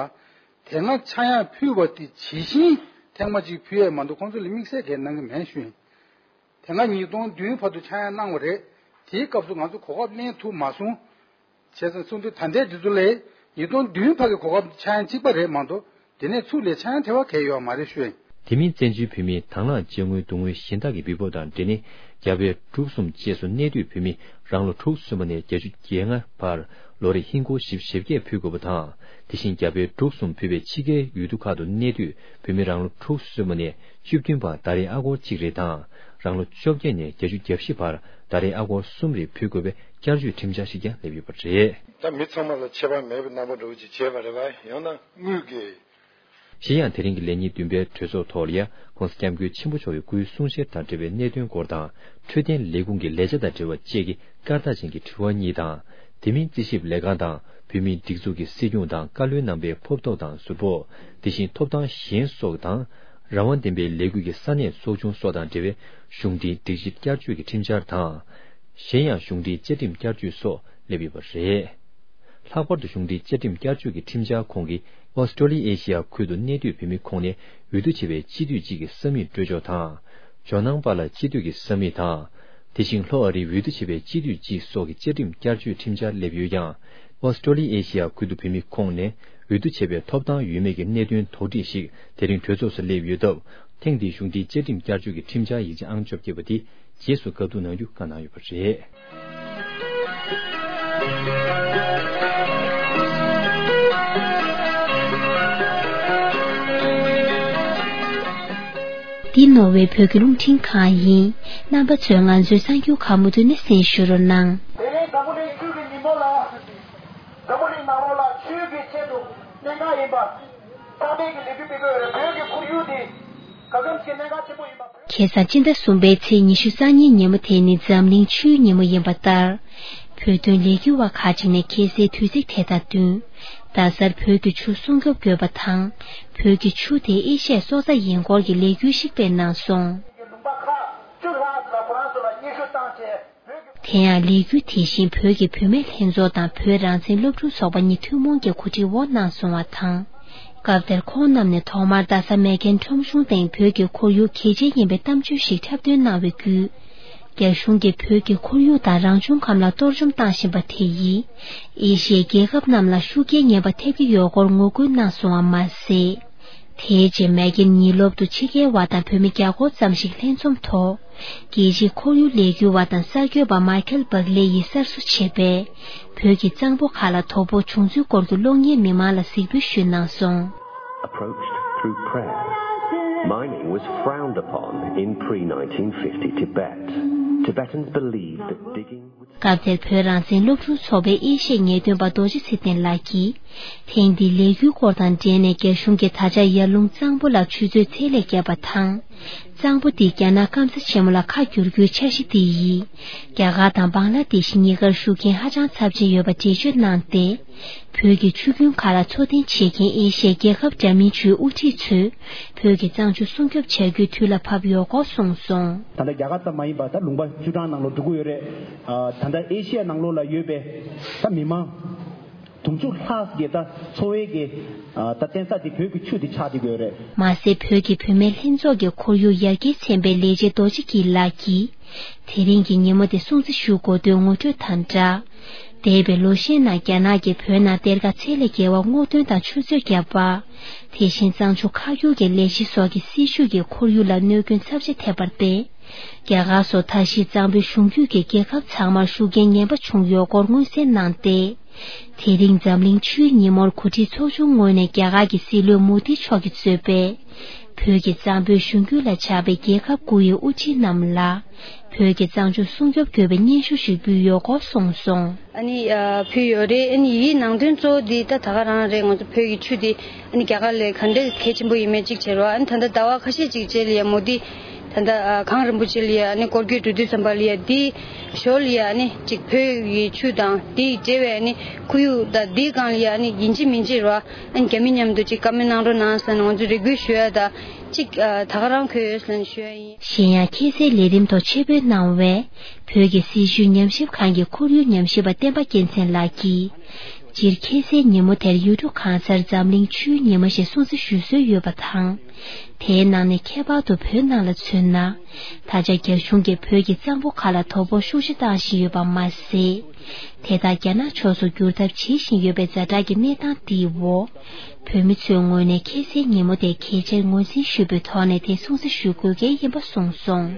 དེ་སྔ་ཆག་ཡང་ཕུལ་བ་དེ་ཇི་བཞིན་ཐེངས་མ་གཅིག་ཕུལ་ཡས་མ་གཏོགས་ཁོང་ཚོ་ལ་དམིགས་བསལ་གང་ཡང་གནང་གི་མེད་ཞུ་ཡིན། དེ་སྔ་ཉིས་སྟོང་བདུན་བར་དུ་ཆག་ཡང་གནང་བ་རེད། དེའི་སྐབས་སུ་ང་ཚོ་གོ་སྐབས་ལེན་ཐུབ་མ་སོང་། བྱས་ཙང་གསུངས་དུས་ད་ལྟའི་དུས་ཚོད་ལ་ཉིས་སྟོང་བདུན་བར་གྱི་གོ་སྐབས་ཆག་ཡང་གཅིག་པ་རེད་མ་གཏོགས་དེ་ནས་ཚུར་ལ་ཆག་ཡང་བྲལ་བ་གང་ཡང་ཡོད་མ་རེད་ཞུ། དེ་མིན་བཙན་བྱོལ་བོད་མིའི་དང་བླངས་དཔྱ་དངུལ་བསྡུ་དངུལ་གཞན་དག་གི་འབུལ་ཕབ་དང་འབྲེལ་ནས་རྒྱ་བལ་འབྲུག་གསུམ་བཅས་སུ་གནས་སྡོད་བོད་མི་རང་ལོ་དྲུག་ཅུ་སོན་པ་ནས་བརྒྱད་ཅུ་གྱ་ལྔ་བར་ལོ་རེར་ཧིན་སྒོར་བཞི་བཅུ་ཞེ་བརྒྱད་ཕུལ་དགོས་པ་དང་། དེ་བཞིན་རྒྱ་བལ་འབྲུག་གསུམ་ཕུད་པའི་ཕྱི་རྒྱལ་ཡུལ་གྲུ་ཁག་ཏུ་གནས་སྡོད་བོད་མི་རང་ལོ་དྲུག་ཅུ་སོན་པ་ནས་བཅུ་བདུན་བར་ཟླ་རེར་ཨ་སྒོར་གཅིག་རེ་དང་། རང་ལོ་བཅོ་བརྒྱད་ནས་བརྒྱད་ཅུ་གྱ་བཞི་བར་ཟླ་རེར་ཨ་སྒོར་གསུམ་རེ་ཕུལ་དགོས་པའི་བསྐྱར་བཅོས་ཁྲིམས་འཆར་ཞིག་ཀྱང་སླེབས་ཡོད་པ་རེད། ད་མི་ཚང་མ་ལ་ཁྱད་པར་མེད་པའི་རྣམ་པ་འདྲ་བོ་ཅིག་བྱས་པ་རེད་པ། ཡང་ན་དངུལ་གྱི། གཞན་ཡང་དེ་རིང་གི་ལས་ཉིན་བདུན་པའི་གྲོས་ཚོགས་ཐོག་ལ་ཡང་༸གོང་ས་༸སྐྱབས་མགོན་ཆེན་པོ་མཆོག་གི་སྐུའི་གསུང་བཤད་དང་འབྲེལ་བའི་གནད་དོན་སྐོར་དང་། འཕྲོད་བསྟེན་ལས་ཁུངས་ཀྱི་ལས་བྱ་དང་འབྲེལ་བ་བཅས་ཀྱི་སྐར་རྟགས་ཅན་གྱི་དྲི་བ་གཉིས་དང་། དེ་མིན་རྩིས་ཞིབ་ལས་ཁང་དང་བོད་མིའི་སྒྲིག་འཛུགས་ཀྱི་སྲིད་སྐྱོང་དང་བཀའ་བློན་རྣམ་པའི་ཕོབ་ཐོབ་དང་ཟུར་ཕོག་དེ་བཞིན་ཐོབ་ཐང་གཞན་སོགས་དང་། རང་དབང་ལྡན་པའི་ལས་འགུལ་གྱི་ས་གནས་ཚོགས་ཆུང་སོགས་དང་འབྲེལ་བའི་གཞུང་འབྲེལ་སྒྲིག་གཞི་བསྐྱར་བཅོས་ཀྱི་ཁྲིམས་འཆར་དང་། གཞན་ཡང་གཞུང་འབྲེལ་བཅའ་ཁྲིམས་བསྐྱར་བཅོས་སོགས་སླེབས་ཡོད་པ་རེད། ལྷག་པར་དུ་གཞུང་འབྲེལ་བཅའ་ཁྲིམས་བསྐྱར་བཅོས་ཀྱི་ཁྲིམས་འཆར་ཁོངས་ཀྱི་ཨོ་སི་ཀྲོ་ལི་ཨེ་ཤི་ཡ་ཁུལ་དུ་གནས་སྡོད་བོད་མི་ཁོངས་ནས་འོས་བསྡུ་བྱས་པའི་སྤྱི་འཐུས་གཅིག་གི་ས་མིག་སྤྲོད་ཕྱོགས་དང་། ཇོ་ནང་པ་ལ་སྤྱི་འཐུས་ཀྱི་ས་མིག་དང་། དེ་བཞིན་ལྷོ་ཨ་རིའི་འོས་བསྡུ་བྱས་པའི་སྤྱི་འཐུས་སྤྱི་སོགས་ཀྱི་བཅའ་ཁྲིམས་བསྐྱར་བཅོས་ཁྲིམས་འཆར་སླེབས་ཡོད་ཀྱང་། ཨོ་སི་ཀྲོ་ལི་ཨེ་ཤི་ཡ་ཁུལ་དུ་བོད་མི་ཁོངས་ནས་འོས་བསྡུ་བྱས་པའི་ཐོབ་ཐང་ཡོད་མེད་ཀྱི་གནད་དོན་དོགས་འདྲི་ཞིག་དེ་རིང་གྲོས་ཚོགས་སུ་སླེབས་ཡོད་སྟབས། ཐེངས་འདིའི་གཞུང་འབྲེལ་བཅའ་ཁྲིམས་བསྐྱར་བཅོས་ཀྱི་ཁྲིམས་འཆར་ཡིག་ཆ་ཨང་བཅོ་བརྒྱད་པ་དེ་རྗེས་སུ་བཀའ་བསྡུར་གནང་རྒྱུ་བཀའ་གནང་ཡོད་པ་རེད། འདི་ནོར་ཝེ་བོད་ཀྱི་རླུང་འཕྲིན་ཁང་ཡིན། རྣམ་པ་ཚོས་ང་ཚོའི་གསར་འགྱུར་ཁག་མུ་མཐུད་ནས་གསན་ཞུ་རོགས་གནང་། དེ་རིང་འཛམ་བུ་གླིང་ཆོས་ཀྱི་ཉིན་མོ་ལ། འཛམ་བུ་གླིང་ནང་ལོགས་ལ་ཆོས་ཀྱི་ཆེད་དུ་གནད་འགག་ཡིན་པ། ཚང་མས་ཀྱི་ལས་འགུལ་སྤེལ་དགོས་རེད། བོད་ཀྱི་ཁོར་ཡུག་དེ་ག་གམ་གྱི་གནད་འགག་ཆེན་པོ་ཡིན་པ། ཁ་སང་སྤྱི་ཟླ་གསུམ་པའི་ཚེས་ཉི་ཤུ་རྩ་གཉིས་ཉིན་མོ་དེ་ནི་འཛམ་གླིང་ཆུའི་ཉིན་མོ་ཡིན་པ་ལྟར། བོད་དོན་ལས་འགུལ་བ་ཁག་ཅིག་ནས་ཁ་སའི་དུས་ཚིགས་དེ་དང་བསྟུན། རྡ་སར་བོད་ཀྱི་ཆུ་སྲུང་སྐྱོབ་དགོས་པ་དང་། བོད་ཀྱི་ཆུ་དེ་ཨེ་ཤི་ཡའི་སྲོག་རྩ་ཡིན་སྐོར་གྱི་ལས་འགུལ་ཞིག་སྤེལ་གནང་སོང་། ལུང་པ་ཁག་བཅུ་ལྷག་ལ་ཁོ་རང་ཚོ་ལ་སྙན་ཞུ་བཏང་རྗེས། དེ་ཡང་ལས་འགུལ་དེ་བཞིན་བོད་ཀྱི་བུད་མེད་ལྷན་ཚོགས་དང་བོད་རང་བཙན་སློབ་ཕྲུག་ཚོགས་པ་གཉིས་ཐུན་མོང་གི་གོ་སྒྲིག་འོག་གནང་སོང་བ་དང་། སྐབས་དེར་ཁོང་རྣམས་ནས་ཐོག་མར་རྡ་ས་མེག་གྷན་ཁྲོམ་གཞུང་སྟེང་བོད་ཀྱི་ཁོར་ཡུག་གལ་ཆེན་ཡིན་པའི་གཏམ་བརྗོད་ཞིག་འཁྲབ་སྟོན་གནང་བའི་བརྒྱུད། རྒྱ་གཞུང་གིས་བོད་ཀྱི་ཁོར་ཡུག་དང་རང་བྱུང་ཁམས་ལ་གཏོར་བཅོམ་བཏང་བཞིན་པ་དེ་ཡིས། ཨེ་ཤི་ཡའི་རྒྱལ་ཁབ་རྣམས་ལ་ཤུགས་རྐྱེན་ངན་པ་ཐེབས་ཀྱི་ཡོད་སྐོར་ངོ་རྒོལ་གནང་སོང་བ་མ་ཟད། དེའི་རྗེས་མེག་གྷན་ཉིན་སློབ་ཏུ་ཕྱི་རྒྱལ་བ་དང་བོད་མི་བརྒྱ་སྐོར་ཙམ་ཞིག་ལྷན་འཛོམས་ཐོག་རྒྱལ་སྤྱིའི་ཁོར་ཡུག་ལས་འགུལ་བ་དང་གསར་འགོད་པ་མའི་ཁལ་བག་ལེ་ཡིས་གསར་བཟོ་བྱས་པའི་བོད་ཀྱི་གཙང་པོ་ཁག་ལ་དོ་ཕོག་བྱུང་ཚུལ་སྐོར་གྱི་གློག་བརྙན་མི་མང་ལ་གཟིགས་འབུལ་ཞུས་གནང་སོང་། Approached through prayer. Mining was frowned upon in pre nineteen fifty Tibet. Tibetans believed that digging would སྐབས་དེར་བོད་རང་བཙན་སློབ་ཕྲུག་ཚོགས་པའི་ཨེ་ཤི་ཡའི་ངེས་སྟོན་པ་རྡོ་རྗེ་ཚེ་བརྟན་ལགས་ཀྱིས། ཐེངས་འདིའི་ལས་འགུལ་སྐོར་དང་འབྲེལ་ནས་རྒྱ་གཞུང་གིས་ད་ཆ་ཡར་ཀླུང་གཙང་པོ་ལ་ཆུ་མཛོད་ཚད་ལས་བརྒལ་བ་དང་། གཙང་པོ་འདི་རྒྱ་ནག་སྐམ་ས་ཆེན་མོ་ལ་ཁ་བསྒྱུར་རྒྱུའི་འཆར་གཞི་འདི་ཡིས། རྒྱ་གར་དང་བང་ལ་དེ་ཤི་གཉིས་ཀར་ཤུགས་རྐྱེན་ཧ་ཅང་ཚབས་ཆེན་ཡོད་པ་འགྲེལ་བརྗོད་གནང་སྟེ། བོད་ཀྱི་ཆུ་རྒྱུན་ཁག་ལ་འཚོ་རྟེན་བྱེད་མཁན་ཨེ་ཤི་ཡའི་རྒྱལ་ཁབ་འདྲ་མིན་བཅུའི་དབུ་ཁྲིད་ཚོས། བོད་ཀྱི་གཙང་ཆུ་སྲུང་སྐྱོབ་བྱ་རྒྱུའི་དུས་ལ་བབ་ཡོད་སྐོར་གསུངས་སོང་། ད་ལྟ་རྒྱ་གར་ཙམ་མ་ཡིན་པར་ད་ལུང་པ་བཅུ་གྲངས་ནང་ལོགས་འགྲོ་གི་ཡོད་རེད། ཨ། ད་ལྟ་ཨེ་ཤི་ཡ་ནང་ལོགས་ལ་ཡོད་པའི་ད་མི་མང་དུང་ཕྱུར་ལྷག་གི་ད་འཚོ་བའི་གི་ཨ། ད་བརྟེན་ས་དེ་བོད་ཀྱི་ཆུ་དེ་ཆགས་བསྡད་ཡོད་རེད། མ་ཟད་བོད་ཀྱི་བུད་མེད་ལྷན་ཚོགས་ཀྱི་ཁོར་ཡུག་ཡར་རྒྱས་ཚན་པའི་ལས་བྱེད་རྡོ་རྗེ་སྐྱིད་ལགས་ཀྱིས། དེ་རིང་གི་ཉིན་མོ་དེ་སྲུང་བརྩི་ཞུ་དགོས་དོན་ངོ་སྤྲོད་དང་སྦྲགས། འདས་པའི་ལོ་ཤས་ནང་རྒྱ་ནག་གིས་བོད་ནང་གཏེར་ཁ་ཚད་ལས་བརྒལ་བ་སྔོག་འདོན་དང་ཆུ་མཛོད་བརྒྱབ་པ། དེ་བཞིན་གཙང་ཆུ་ཁ་བསྒྱུར་གྱི་ལས་གཞི་སོགས་ཀྱི་སྲིད་བྱུས་ཀྱི་ཁོར་ཡུག་ལ་གནོད་སྐྱོན་ཚབས་ཆེ་ཐེབས་པར་བརྟེན། རྒྱ་གར་སོགས་མཐའ་བཞིའི་གཙང་པོའི་གཞུང་རྒྱུད་ཀྱི་རྒྱལ་ཁབ་ཚང་མར་ཤུགས་རྐྱེན་ངན་པ་བྱུང་ཡོད་སྐོར་མངོན་གསལ་གནང་སྟེ། དེ་རིང་འཛམ་གླིང་ཆུའི་ཉིན་མོར་གོ་སྒྲིག་ཚོགས་ཆུང་ངོས་ནས་རྒྱ་གར་གྱི་སྲིད་བློན་མོ་དི་མཆོག་གིས་གཙོས་པའི་བོད་ཀྱི་གཙང་པོའི་གཞུང་རྒྱུད་ལ་ཆགས་པའི་རྒྱལ་ཁབ་དགུ་ཡི་དབུ་ཁྲིད་རྣམས་ལ་བོད་ཀྱི་གཙང་ཆུ་སྲུང་སྐྱོབ་དགོས་པའི་སྙན་ཞུ་ཞིག་ཕུལ་ཡོད་སྐོར་གསུངས་སོང་། ཨ་ནི་ཕུལ་ཡོད་རེད། ཨ་ནི་ཡི་གེའི་ནང་དོན་གཙོ་བོ་འདི་ད་ད་ག་རང་རེད། ང་ཚོ་བོད་ཀྱི་ཆུ་འདི་ཨ་ནི་རྒྱ་གར་ལས་ག་འདྲ་གལ་ཆེན་པོ་ཡིན་མེད་གཅིག་བྱས་རོགས། ཨ་ནི་ད་ལྟ་ཟླ་བ་ཁ་ཤས་ཅིག་རྗེས་ལ་ཡ་མོ་དི། ད་ལྟ་ཨ་གངས་རིན་པོ་ཆེ་ལ་ཡ་ཨ་ནི་སྐོར་སྐྱོད་འགྲོ་དུས་ཙམ་པ་ལ་ཡ་འདིའི་ཞོར་ལ་ཡ་ཨ་ནི་གཅིག་བོད་ཀྱི་ཆུ་དང་དེའི་འབྲེལ་བའི་ཨ་ནི་ཁོར་ཡུག་དང་འདིའི་སྒང་ལ་ཡ་ཨ་ནི་ཡིན་གཅིག་མིན་གཅིག་རེད་བ། ཨ་ནི་རྒྱ་མི་མཉམ་དུ་གཅིག་བཀའ་མོལ་གནང་རོགས་གནང་ཟེར་ནས་ང་ཚོ་རེ་སྐུལ་ཞུ་ཡ་ད་གཅིག་ཨ་ད་ག་རང་འཁོད་ཡོད་ཟེར་ནས་ཞུ་ཡ་ཡིན། གཞན་ཡང་ཁ་སའི་ལས་རིམ་ཐོག་ཆེད་ཕེབས་གནང་བའི་བོད་ཀྱི་སྲིད་བྱུས་ཉམས་ཞིབ་ཁང་གི་ཁོར་ཡུག་ཉམས་ཞིབ་པ་བསྟན་པ་རྒྱལ་མཚན་ལགས་ཀྱིས། སྤྱིར་ཁ་སའི་ཉིན་མོ་དེར་ཡུལ་གྲུ་གང་སར་འཛམ་གླིང་ཆུའི་ཉིན་མོ་ཞེས་སྲུང་བརྩི་ཞུ་སྲོལ་ཡོད་པ་དང་། དེའི་ནང་ནས་ཁྱད་པར་དུ་བོད་ནང་ལ་མཚོན་ན། ད་ཆ་རྒྱ་གཞུང་གིས་བོད་ཀྱི་གཙང་པོ་ཁག་ལ་དོ་ཕོག་ཤུགས་ཆེ་བཏང་བཞིན་ཡོད་པ་མ་ཟད། དེ་དག་རྒྱ་ནག་ཕྱོགས་སུ་བསྒྱུར་ཐབས་བྱེད་བཞིན་ཡོད་པའི་ཛ་དྲག་གི་གནས་སྟངས་འདིའི་འོག་བོད་མི་ཚོའི་ངོས་ནས་ཁ་སའི་ཉིན་མོ་དེ་གལ་ཆེར་ངོས་འཛིན་ཞུས་པའི་ཐོག་ནས་དེ་སྲུང་བརྩི་ཞུ་དགོས་གལ་ཡིན་པ་གསུངས་སོང་།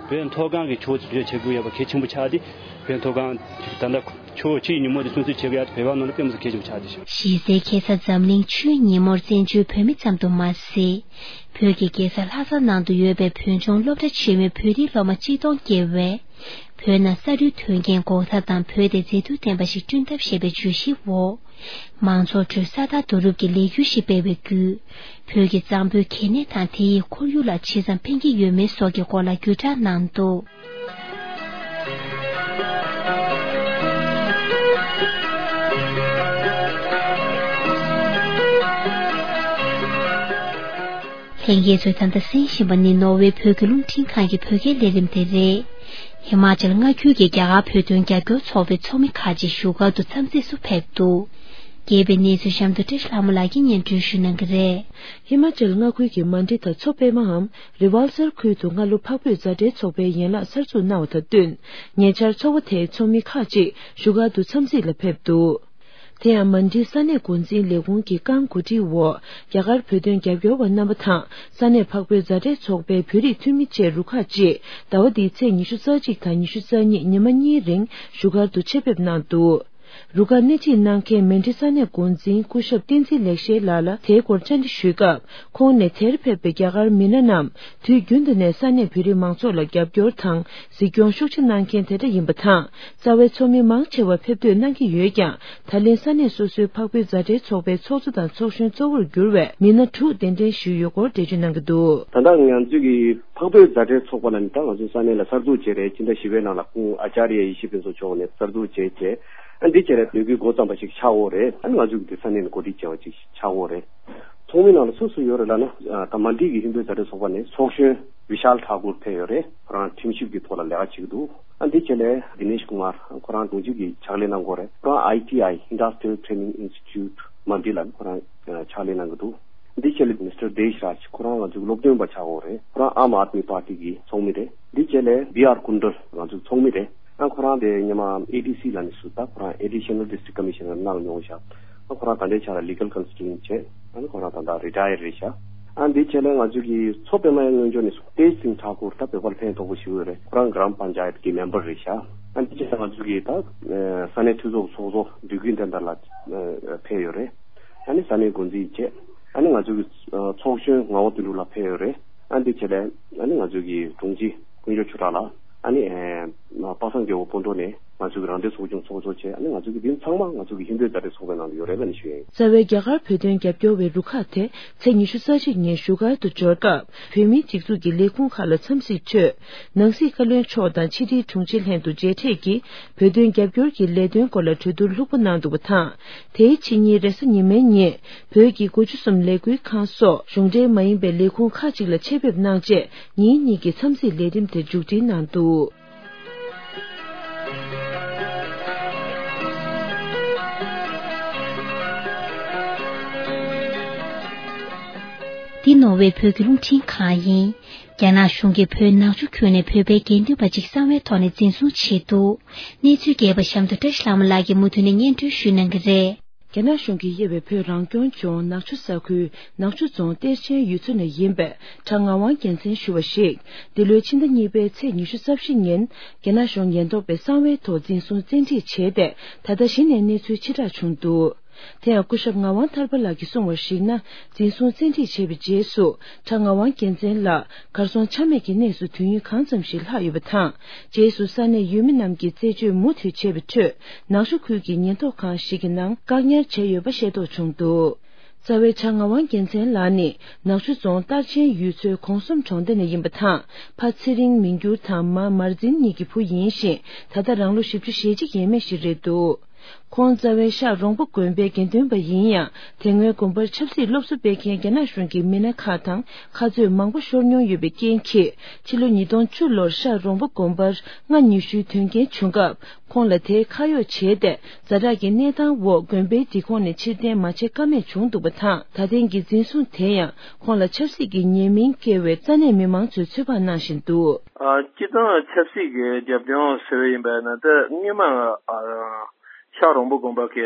བོད་མཐོ་སྒང་གི་ཕྱོགས་བྱེད་དགོས་ཡོད་པ་གལ་ཆེན་པོ་ཆགས་ཏེ། བོད་མཐོ་སྒང་ད་ལྟ་ཆུ་བོ་ཆུའི་ཉིན་མོ་དེ་སྲུང་བརྩི་བྱེད་དགོས་ཡ་དེ་བོད་པ་ནང་ལ་དཔེ་མི་སྲིད་གལ་ཆེན་པོ་ཆགས་ཏེ། གཞི་རྩའི་ཁ་ས་འཛམ་གླིང་ཆུའི་ཉིན་མོར་བཙན་བྱོལ་བོད་མི་ཙམ་དུ་མ་ཟད། བོད་ཀྱི་རྒྱལ་ས་ལྷ་ས་ནང་དུ་ཡོད་པའི་བོད་ལྗོངས་སློབ་གྲྭ་ཆེན་མོའི་བོད་རིགས་སློབ་མ་ཆིག་སྟོང་བརྒལ་བས། བོད་ནང་ས་རུད་དོན་རྐྱེན་འགོག་ཐབས་དང་བོད་དེ་མཛེས་སྡུག་ལྡན་པ་ཞིག་བསྐྲུན་ཐབས་ཞེས་པའི་བརྗོད་གཞིའི་འོག་མང་ཚོགས་ཁྲོད་ས་དར་རྡོ་རུབ་ཀྱི་ལས་འགུལ་ཞིག་སྤེལ་བའི་བརྒྱུད། བོད་ཀྱི་གཙང་པོའི་གལ་གནད་དང་དེ་ཡི་ཁོར་ཡུག་ལ་ཇི་ཙམ་ཕན་གྱི་ཡོད་མེད་སོགས་ཀྱི་སྐོར་ལ་བརྒྱུད་བསྒྲགས་གནང་འདུག་ལྷན་རྒྱས་ཚོས་ད་ལྟ་གསན་བཞིན་པ་ནི་ནོར་ཝེ་བོད་ཀྱི་རླུང་འཕྲིན་ཁང་གི་བོད་སྐད་ལས་རིམ་དེ་རེད། ཧི་མ་ཅལ་མངའ་ཁུལ་གྱི་རྒྱ་གར་བོད་དོན་རྒྱབ་སྐྱོར་ཚོགས་པའི་ཚོགས་མི་ཁག་ཅིག་བཞུགས་སྒར་དུ་འཚམས་གཟིགས་སུ་ཕེབས་འདུག་རྒྱས་པའི་གནས་ཚུལ་གཤམ་དུ་བཀྲ་ཤིས་ལྷ་མོ་ལགས་ཀྱིས་སྙན་སྒྲོན་ཞུ་གནང་གི་རེད། ཧི་མ་ཅལ་མངའ་ཁུལ་གྱི་མན་ཌི་དང་མཚོ་པད་མའམ་རི་ཝལ་སར་ཁུལ་དུ་སྔ་ལོ་འཕགས་བོད་མཛའ་འབྲེལ་ཚོགས་པའི་ཡན་ལག་གསར་འཛུགས་གནང་བ་དང་བསྟུན། ཉེ་ཆར་ཚོགས་པ་དེའི་ཚོགས་མི་ཁག་ཅིག་བཞུགས་སྒར་དུ་འཚམས་གཟིགས་ལ་ཕེབས་འདུག་དེ་ཡང་མན་ཌི་ས་གནས་འགོ་འཛིན་ལས་ཁུངས་ཀྱི་རྐང་གོ་སྒྲིག་འོག་རྒྱ་གར་བོད་དོན་རྒྱབ་སྐྱོར་བ་རྣམ་པ་དང་ས་གནས་འཕགས་བོད་མཛའ་འབྲེལ་ཚོགས་པའི་བོད་རིགས་འཐུས་མི་བཅས་རུ་ཁག་ཅིག་ཟླ་བ་འདིའི་ཚེས་ཉི་ཤུ་རྩ་གཅིག་དང་ཉི་ཤུ་རྩ་གཉིས་ཉི་མ་གཉིས་རིང་བཞུགས་སྒར་དུ་ཆེད་ཕེབས་གནང་འདུག་རུ་ཁག་སྣེ་ཁྲིད་གནང་མཁན་མན་ཌི་ས་གནས་འགོ་འཛིན་སྐུ་ཞབས་བསྟན་འཛིན་ལེགས་བཤད་ལགས་ལ་དེའི་སྐོར་བཅར་འདྲི་ཞུས་སྐབས། ཁོང་ནས་དེར་ཕེབས་པའི་རྒྱ་གར་མི་སྣ་རྣམས་དུས་རྒྱུན་དུ་ནས་ས་གནས་བོད་རིགས་མང་ཚོགས་ལ་རྒྱབ་སྐྱོར་དང་གཟིགས་སྐྱོང་ཤུགས་ཆེ་གནང་མཁན་དེ་འདྲ་ཡིན་པ་དང་། རྩ་བའི་ཚོགས་མི་མང་ཆེ་བ་ཕེབས་ཐོས་གནང་གི་ཡོད་ཀྱང་། ད་ལན་ས་གནས་སོ་སོའི་འཕགས་བོད་མཛའ་འབྲེལ་ཚོགས་པའི་ཚོགས་གཙོ་དང་ཚོགས་གཞོན་གཙོ་བོར་གྱུར་བའི་མི་སྣ་དྲུག་གདན་འདྲེན་ཞུས་ཡོད་སྐོར་འགྲེལ་བརྗོད་གནང་གི་འདུག་ད་ལྟ་ང་ཚོས་ཀྱི་འཕགས་བོད་མཛའ་འབྲེལ་ཚོགས་པ་ལ་ནི་ད་ང་ཚོའི་ས་གནས་ལ་གསར་འཛུགས་བྱས་རེད། ཕྱི་ཟླ་བཞི་པའི་ནང་ལ་ཁོང་ཨ་ཅཱརྱ་ཡེ་ཤེས་ཕུན་ཚོགས་མཆོག་ནས་གསར་འཛུགས་བྱས་བྱས། ཨ་འདི་བྱས་རེད། ལས་འགུལ་འགོ་བརྩམས་པ་ཞིག་ཆགས་ཡོད་རེད། ཨ་ནི་ང་ཚོས་ཀྱི་འདི་ས་གནས་ནས་གོ་སྒྲིག་བྱས་པ་ཅིག་ཆགས་ཡོད་རེད། ཚོགས་མི་ནང་ལ་སུ་སུ་ཡོད་རེད་ལབ་ན། ཨ་ད་མན་ཌི་གི་ཧིན་རྡུ་མཛའ་འབྲེལ་ཚོགས་པ་ནས་ཚོགས་གཞོན་བི་ཤཱལ་ཐཱ་ཀུར་ཕེབས་ཡོད་རེད། ཁོ་རང་ཁྲིམས་ཞིབ་ཀྱི་ཐོག་ལ་ལས་ཀ་བྱེད་ཀྱི་འདུག་ཨ་འདི་བྱས་ལས་དི་ནེཤ་ཀུ་མར་ཁོ་རང་དྲུང་ཆེ་གི་ཕྱག་ལས་གནང་གི་ཡོད་རེད། ཁོ་རང་ཨའི་ཊི་ཨའི་Industrial Training Institute མན་ཌི་ལ་ཁོ་རང་ཕྱག་ལས་གནང་གི་འདུག་འདི་བྱས་ལས་མི་སི་ཊར་དེ་ཤ་རཱཇ་ཁོ་རང་ང་ཚོའི་སློབ་སྟོན་པ་ཆགས་ཡོད་རེད། ཁོ་རང་ཨམ་ཨཱདྨི་པར་ཊི་གི་ཚོགས་མི་རེད། འདི་བྱས་ལས་བི་ཨར་ཀུན་ཌལ་ང་ཚོའི་ཚོགས་མི་རེད། ཨ་ཁོ་རང་དེ་སྔོན་མ་ཨེ་ཌི་སི་ལ་ནི་སུ་ད་ཁོ་རང་Additional District Commissioner གནང་མྱོང་ཤག་ཨ་ཁོ་རང་ད་ལྟའི་ཆ་ལ་ལི་གལ་ཀོན་སལ་ཊན་ཊི་བྱས། ཨ་ནི་ཁོ་རང་ད་ལྟ་རི་ཊ་ཡར་རེད་ཤག་ཨ་འདི་བྱས་ལས་ང་ཚོ་གི་མཚོ་པད་མ་ཡི་སྔོན་འཇོག་ནས་སུ་ཏེཇ་སིང་ཐཱ་ཀུར་ད་བོད་པར་ཕན་ཐོགས་པོ་ཞིག་ཡོད་རེད། ཁོ་རང་གྷ་རམ་པན་ཅ་ཡད་ཀྱི་མེམ་བར་རེད་ཤག་ཨ་འདི་བྱས་ལས་ང་ཚོ་གི་ད་ས་གནས་འཐུས་ཚོགས་ཚོགས་གཙོ་འདོད་རྒུ་བསྟན་དར་ལགས་ཕེབས་ཡོད་རེད། ཨ་ནི་ས་གནས་འགོ་འཛིན་བྱས། ཨ་ནི་ང་ཚོ་གི་ཚོགས་གཞོན་ངག་དབང་དོན་གྲུབ་ལགས་ཕེབས་ཡོད་རེད། ཨ་འདི་བྱས་ལས་ཨ་ནི་ང་ཚོ་གི་དྲུང་ཆེ་དཀོན་མཆོག་ཆོས་གྲགས་ལགས། ཨ་ནི་ཨེ་པ་སངས་རྒྱལ་པོ་སྤོན་གྲོགས་ནས་ང་ཚོ་གི་རང་བདེན་ཚོགས་ཆུང་ཚོགས་གཙོ་བྱས། ཨ་ནི་ང་ཚོ་གི་འདི་ཚང་མ་ང་ཚོ་གི་ཧིན་རྡུ་མཛའ་འབྲེལ་ཚོགས་པའི་ནང་དུ་ཡོད་རེད་ལབ་ནས་ཞུ་ཡ་ཡིན། རྩ་བའི་རྒྱ་གར་བོད་དོན་རྒྱབ་སྐྱོར་བའི་རུ་ཁག་དེ་ཚེས་ཉི་ཤུ་རྩ་གཅིག་ཉིན་བཞུགས་སྒར་དུ་འབྱོར་སྐབས། བོད་མིའི་སྒྲིག་འཛུགས་ཀྱི་ལས་ཁུངས་ཁག་ལ་འཚམས་གཟིགས་ཆེད། ནང་སྲིད་བཀའ་བློན་མཆོག་དང་ཕྱི་དྲིལ་དྲུང་ཆེ་ལྷན་དུ་མཇལ་འཕྲད་ཀྱིས་བོད་དོན་རྒྱབ་སྐྱོར་གྱི་ལས་དོན་སྐོར་ལ་གྲོས་བསྡུར་ལྷུག་པོ་གནང་འདུག་པ་དང་། དེའི་ཕྱི་ཉིན་རེས་གཟའ་ཉི་མའི་ཉིན་བོད་ཀྱི་དགུ་བཅུ་གསུམ་ལས་འགུལ་ཁང་སོགས་གཞུང་འབྲེལ་མ་ཡིན་པའི་ལས་ཁུངས་ཁག་ཅིག་ལ་ཆེད་ཕེབས་གནང་རྗེས་ཉིན་གཉིས་ཀྱི་འཚམས་གཟིགས་ལས་རིམ་དེ་མཇུག་སྒྲིལ་གནང་འདུག་འདི་ནོར་ཝེ་བོད་ཀྱི་རླུང་འཕྲིན་ཁང་ཡིན། རྒྱ་ནག་གཞུང་གིས་བོད་ནག་ཆུ་ཁུལ་ནས་བོད་པའི་དགེ་འདུན་པ་གཅིག་གསང་བའི་ཐོག་ནས་འཛིན་བཟུང་བྱས་འདུག་གནས་ཚུལ་རྒྱས་པ་གཤམ་དུ་བཀྲ་ཤིས་ལྷ་མོ་ལགས་ཀྱིས་མུ་མཐུད་ནས་སྙན་སྒྲོན་ཞུ་གནང་གི་རེད། རྒྱ་ནག་གཞུང་གིས་དབྱེ་བའི་བོད་རང་སྐྱོང་ལྗོངས་ནག་ཆུ་ས་ཁུལ་ནག་ཆུ་རྫོང་གཏེར་ཆེན་ཡུལ་ཚོ་ནས་ཡིན་པའི་གྲྭ་ངག་དབང་རྒྱལ་མཚན་ཞུ་བ་ཞིག་འདི་ལོའི་ཕྱི་ཟླ་གཉིས་པའི་ཚེས་ཉི་ཤུ་རྩ་བཞི་ཉིན་རྒྱ་ནག་གཞུང་ཉེན་རྟོག་པས་གསང་བའི་ཐོག་འཛིན་བཟུང་བཙན་ཁྲིད་བྱས་ཏེ། ད་ལྟ་གཞི་ནས་གནས་ཚུལ་ཕྱིར་བསྒྲགས་བྱུང་འདུག་དེ་ཡང་སྐུ་ཞབས་ངག་དབང་ཐར་པ་ལགས་ཀྱིས་གསུངས་པར་གཞིགས་ན། འཛིན་བཟུང་བཙན་ཁྲིད་བྱས་པའི་རྗེས་སུ་གྲྭ་ངག་དབང་རྒྱལ་མཚན་ལགས་གར་སོང་ཆ་མེད་ཀྱི་གནས་སུ་དུས་ཡུན་གང་ཙམ་ཞིག་ལྷག་ཡོད་པ་དང་། རྗེས་སུ་ས་གནས་ཡུལ་མི་རྣམས་ཀྱིས་རྩད་གཅོད་མུ་མཐུད་བྱས་པའི་ཁྲོད། ནག་ཆུ་ཁུལ་གྱི་ཉེན་རྟོག་ཁང་ཞིག་གི་ནང་བཀག་ཉར་བྱས་ཡོད་པ་ཤེས་རྟོགས་བྱུང་འདུག་རྩ་བའི་གྲྭ་ངག་དབང་རྒྱལ་མཚན་ལགས་ནི་ནག་ཆུ་རྫོང་སྟར་ཆེན་ཡུལ་ཚོའི་གོང་གསུམ་གྲོང་སྡེ་ནས་ཡིན་པ་དང་། ཕ་ཚེ་རིང་མི་འགྱུར་དང་མ་མར་འཛིན་གཉིས་ཀྱི་བུ་ཡིན་ཞིང་། ད་ལྟ་རང་ལོ་བཞི་བཅུ་ཞེ་གཅིག་ཡས་མས་ཤིག་རེད་འདུག་ཁོང་རྩ་བའི་ཤག་རོང་པོ་དགོན་པའི་དགེ་འདུན་པ་ཡིན་ཡང་། དེ་སྔོན་དགོན་པར་ཆབ་སྲིད་སློབ་གསོ་སྤེལ་མཁན་རྒྱ་ནག་གཞུང་གི་མི་སྣ་ཁག་དང་ཁ་རྩོད་མང་པོ་ཤོར་མྱོང་ཡོད་པའི་རྐྱེན་གྱིས། ཕྱི་ལོ་ཉིས་སྟོང་བཅུ་ལོར་ཤག་རོང་པོ་དགོན་པར་སྔ་ཉི་ཤུའི་དོན་རྐྱེན་བྱུང་སྐབས། ཁོང་ལ་དེའི་ཁ་གཡོག་བྱས་ཏེ། ཛ་དྲག་གི་གནས་སྟངས་འོག་དགོན་པའི་སྒྲིག་ཁོངས་ནས་ཕྱིར་འཐེན་མ་བྱེད་ཀ་མེད་བྱུང་འདུག་པ་དང་། ད་ཐེངས་ཀྱི་འཛིན་བཟུང་དེ་ཡང་ཁོང་ལ་ཆབ་སྲིད་ཀྱི་ཉེས་མིང་བཀལ་བའི་ས་གནས་མི་མང་ཚོས་ཚོད་དཔག་གནང་བཞིན་འདུག་ཨ། སྤྱིར་བཏང་ཆབ་སྲིད་ཀྱི་རྒྱབ་ལྗོངས་ཟེར་བ་ཡིན་པ་ན། ད་སྔོན་མ་ཨ་ཤག་རོང་པོ་དགོན་པ་གི་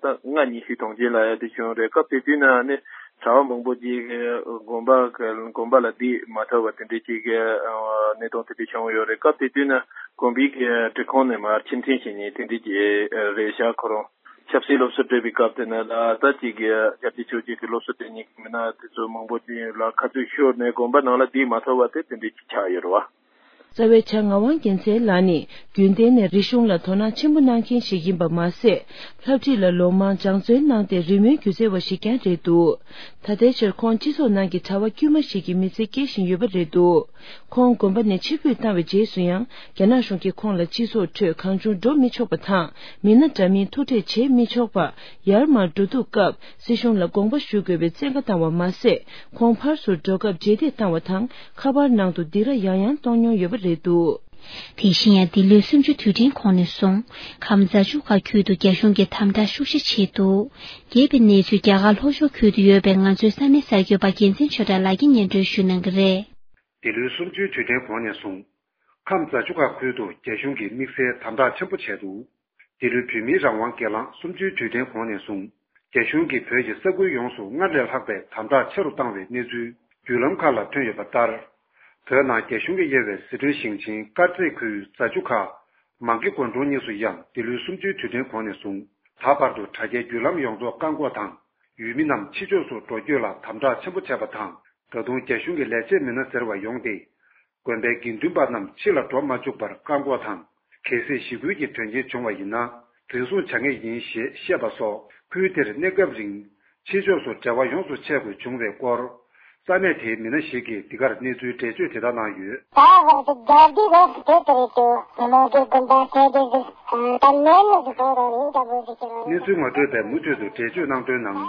ད་སྔ་ཉི་ཤུའི་གྲོང་ཁྱེར་ལ་ཡ་དེ་བྱུང་རེད། སྐབས་དེ་དུས་ན་ནི་གྲྭ་པ་མང་པོ་ཅིག་གིས་དགོན་པ་གི་དགོན་པ་ལ་སྡོད་མ་ཐུབ་པ་དེ་འདྲའི་ཅིག་གི་གནས་སྟངས་དེ་འདྲ་བྱུང་ཡོད་རེད། སྐབས་དེ་དུས་ན་དགོན་པའི་གི་སྒྲིག་ཁོངས་ནས་མར་ཕྱིར་འཐེན་བྱེད་མཁན་དེ་འདྲའི་ཅིག་རེད་ཤག་ཁོ་རང་ཆབ་སྲིད་སློབ་གསོ་སྤྲད་པའི་སྐབས་དེ་ན་ད་ཅིག་གི་རྒྱལ་སྤྱིའི་ཕྱོགས་ཀྱི་སློབ་གསོ་སྤྲད་མཁན་གྱི་མི་སྣ་དེ་ཚོ་མང་པོ་ཅིག་ལ་ཁ་རྩོད་ཤོར་ནས་དགོན་པ་ནང་ལ་སྡོད་མ་ཐུབ་པ་དེ་དེ་འདྲའི་ཅིག་ཆགས་ཡོད་རེད་བ། རྩ་བའི་གྲྭ་ངག་དབང་རྒྱལ་མཚན་ལགས་ནི་རྒྱུན་གཏན་ནས་རིག་གཞུང་ལ་དོ་སྣང་ཆེན་པོ་གནང་མཁན་ཞིག་ཡིན་པ་མ་ཟད། ལྷ་བྲིས་ལ་ལོ་མང་སྦྱང་བརྩོན་གནང་སྟེ་རི་མོའི་སྒྱུ་རྩལ་བ་ཞིག་ཀྱང་རེད་འདུག་ད་ལྟའི་ཆར་ཁོང་སྤྱི་ཚོགས་ནང་གི་གྲྭ་པ་དཀྱུས་མ་ཞིག་གི་མི་ཚེ་སྐྱེལ་བཞིན་ཡོད་པ་རེད་འདུག་ཁོང་དགོན་པ་ནས་ཕྱིར་འབུད་བཏང་བའི་རྗེས་སུ་ཡང་། རྒྱ་ནག་གཞུང་གིས་ཁོང་ལ་སྤྱི་ཚོགས་ཁྲོད་གང་བྱུང་འགྲོ་མི་ཆོག་པ་དང་། མི་སྣ་འདྲ་མིན་ཐུག་འཕྲད་བྱེད་མི་ཆོག་པ། ཡར་མར་འགྲོ་འདུག་སྐབས། སྲིད་གཞུང་ལ་དགོངས་པ་ཞུ་དགོས་པའི་བཙན་བཀའ་བཏང་བ་མ་ཟད། ཁོང་ཕར་ཚུར་འགྲོ་སྐབས་རྗེས་འདེད་བཏང་བ་དང་། ཁ་པར་ནང་དུ་སྡིགས་ར་ཡང་ཡང་གཏོང་མྱོང་ཡོད་པ་རེད་འདུག་དེ་བཞིན་ཡང་འདི་ལོའི་གསུམ་བཅུའི་དུས་དྲན་གོང་ནས་བཟུང་ཁམས་རྫ་ཆུ་ཁ་ཁུལ་དུ་རྒྱ་གཞུང་གིས་དམ་དྲག་ཤུགས་ཆེ་བྱས་འདུག། རྒྱས་པའི་གནས་ཚུལ། རྒྱ་གར་ལྷོ་ཕྱོགས་ཁུལ་དུ་ཡོད་པའི་ང་ཚོའི་ས་གནས་གསར་འགོད་པ་རྒྱལ་མཚན་ཆོས་གྲགས་ལགས་ཀྱིས་སྙན་སྒྲོན་ཞུ་གནང་གི་རེད། འདི་ལོའི་གསུམ་བཅུའི་དུས་དྲན་གོང་ནས་བཟུང་། ཁམས་རྫ་ཆུ་ཁ་ཁུལ་དུ་རྒྱ་གཞུང་གིས་དམིགས་བསལ་དམ་དྲག་ཆེན་པོ་བྱས་འདུག། འདི་ལོའི་བོད་མིའི་རང་དབང་སྒེར་ལངས་གསུམ་བཅུའི་དུས་དྲན་གོང་ནས་བཟུང་། རྒྱ་གཞུང་གིས་བོད་ཀྱི་ས་ཁུལ་ཡོངས་སུ་སྔར་ལས་ལྷག་པའི་དམ་དྲག་ཆེ་རུ་བཏང་བའི་གནས་ཚུལ་བརྒྱུད་ལམ་ཁག་ལ་ཐོན་ཡོད་པ་ལྟར། བོད་ནང་རྒྱ་གཞུང་གིས་དབྱེ་བའི་ཟི་ཁྲོན་ཞིང་ཆེན་དཀར་མཛེས་ཁུལ་རྫ་ཆུ་ཁ། མང་ཀི་དགོན་གྲོང་གཉིས་སུ་ཡང་འདི་ལོའི་གསུམ་བཅུའི་དུས་དྲན་གོང་ནས་བཟུང་། ད་བར་དུ་དྲ་རྒྱའི་བརྒྱུད་ལམ་ཡོངས་རྫོགས་བཀག་འགོག་དང་། ཡུལ་མི་རྣམས་ཕྱི་ཕྱོགས་སུ་འགྲོ་སྐྱོད་ལ་དམ་དྲག་ཆེན་པོ་བྱས་པ་དང་། ད་དུང་རྒྱ་གཞུང་གི་ལས་བྱེད་མི་སྣ་ཟེར་བ་ཡོང་སྟེ། དགོན་པའི་དགེ་འདུན་པ་རྣམས་ཕྱི་ལ་འགྲོ་མ་བཅུག་པར་བཀག་འགོག་དང་། གལ་སྲིད་ཞི་རྒོལ་གྱི་དོན་རྐྱེན་བྱུང་བ་ཡིན་ན། འཛིན་བཟུང་བྱ་ངེས་ཡིན་ཞེས་བཤད་པ་སོགས། ཁུལ་དེར་གནས་སྐབས་རིང་ཕྱི་ཕྱོགས་སུ་འབྲེལ་བ་ཡོངས་སུ་ཆད་དགོས་བྱུང་བའི་སྐོར། ས་གནས་དེའི་མི་སྣ་ཞིག་གིས་འདི་གར་གནས་ཚུལ་འགྲེལ་བརྗོད་དེ་ལྟར་གནང་ཡོད། གནས་ཚུལ་ངོ་སྤྲོད་པས་མུ་མཐུད་དུ་འགྲེལ་བརྗོད་གནང་དོན་ནང་།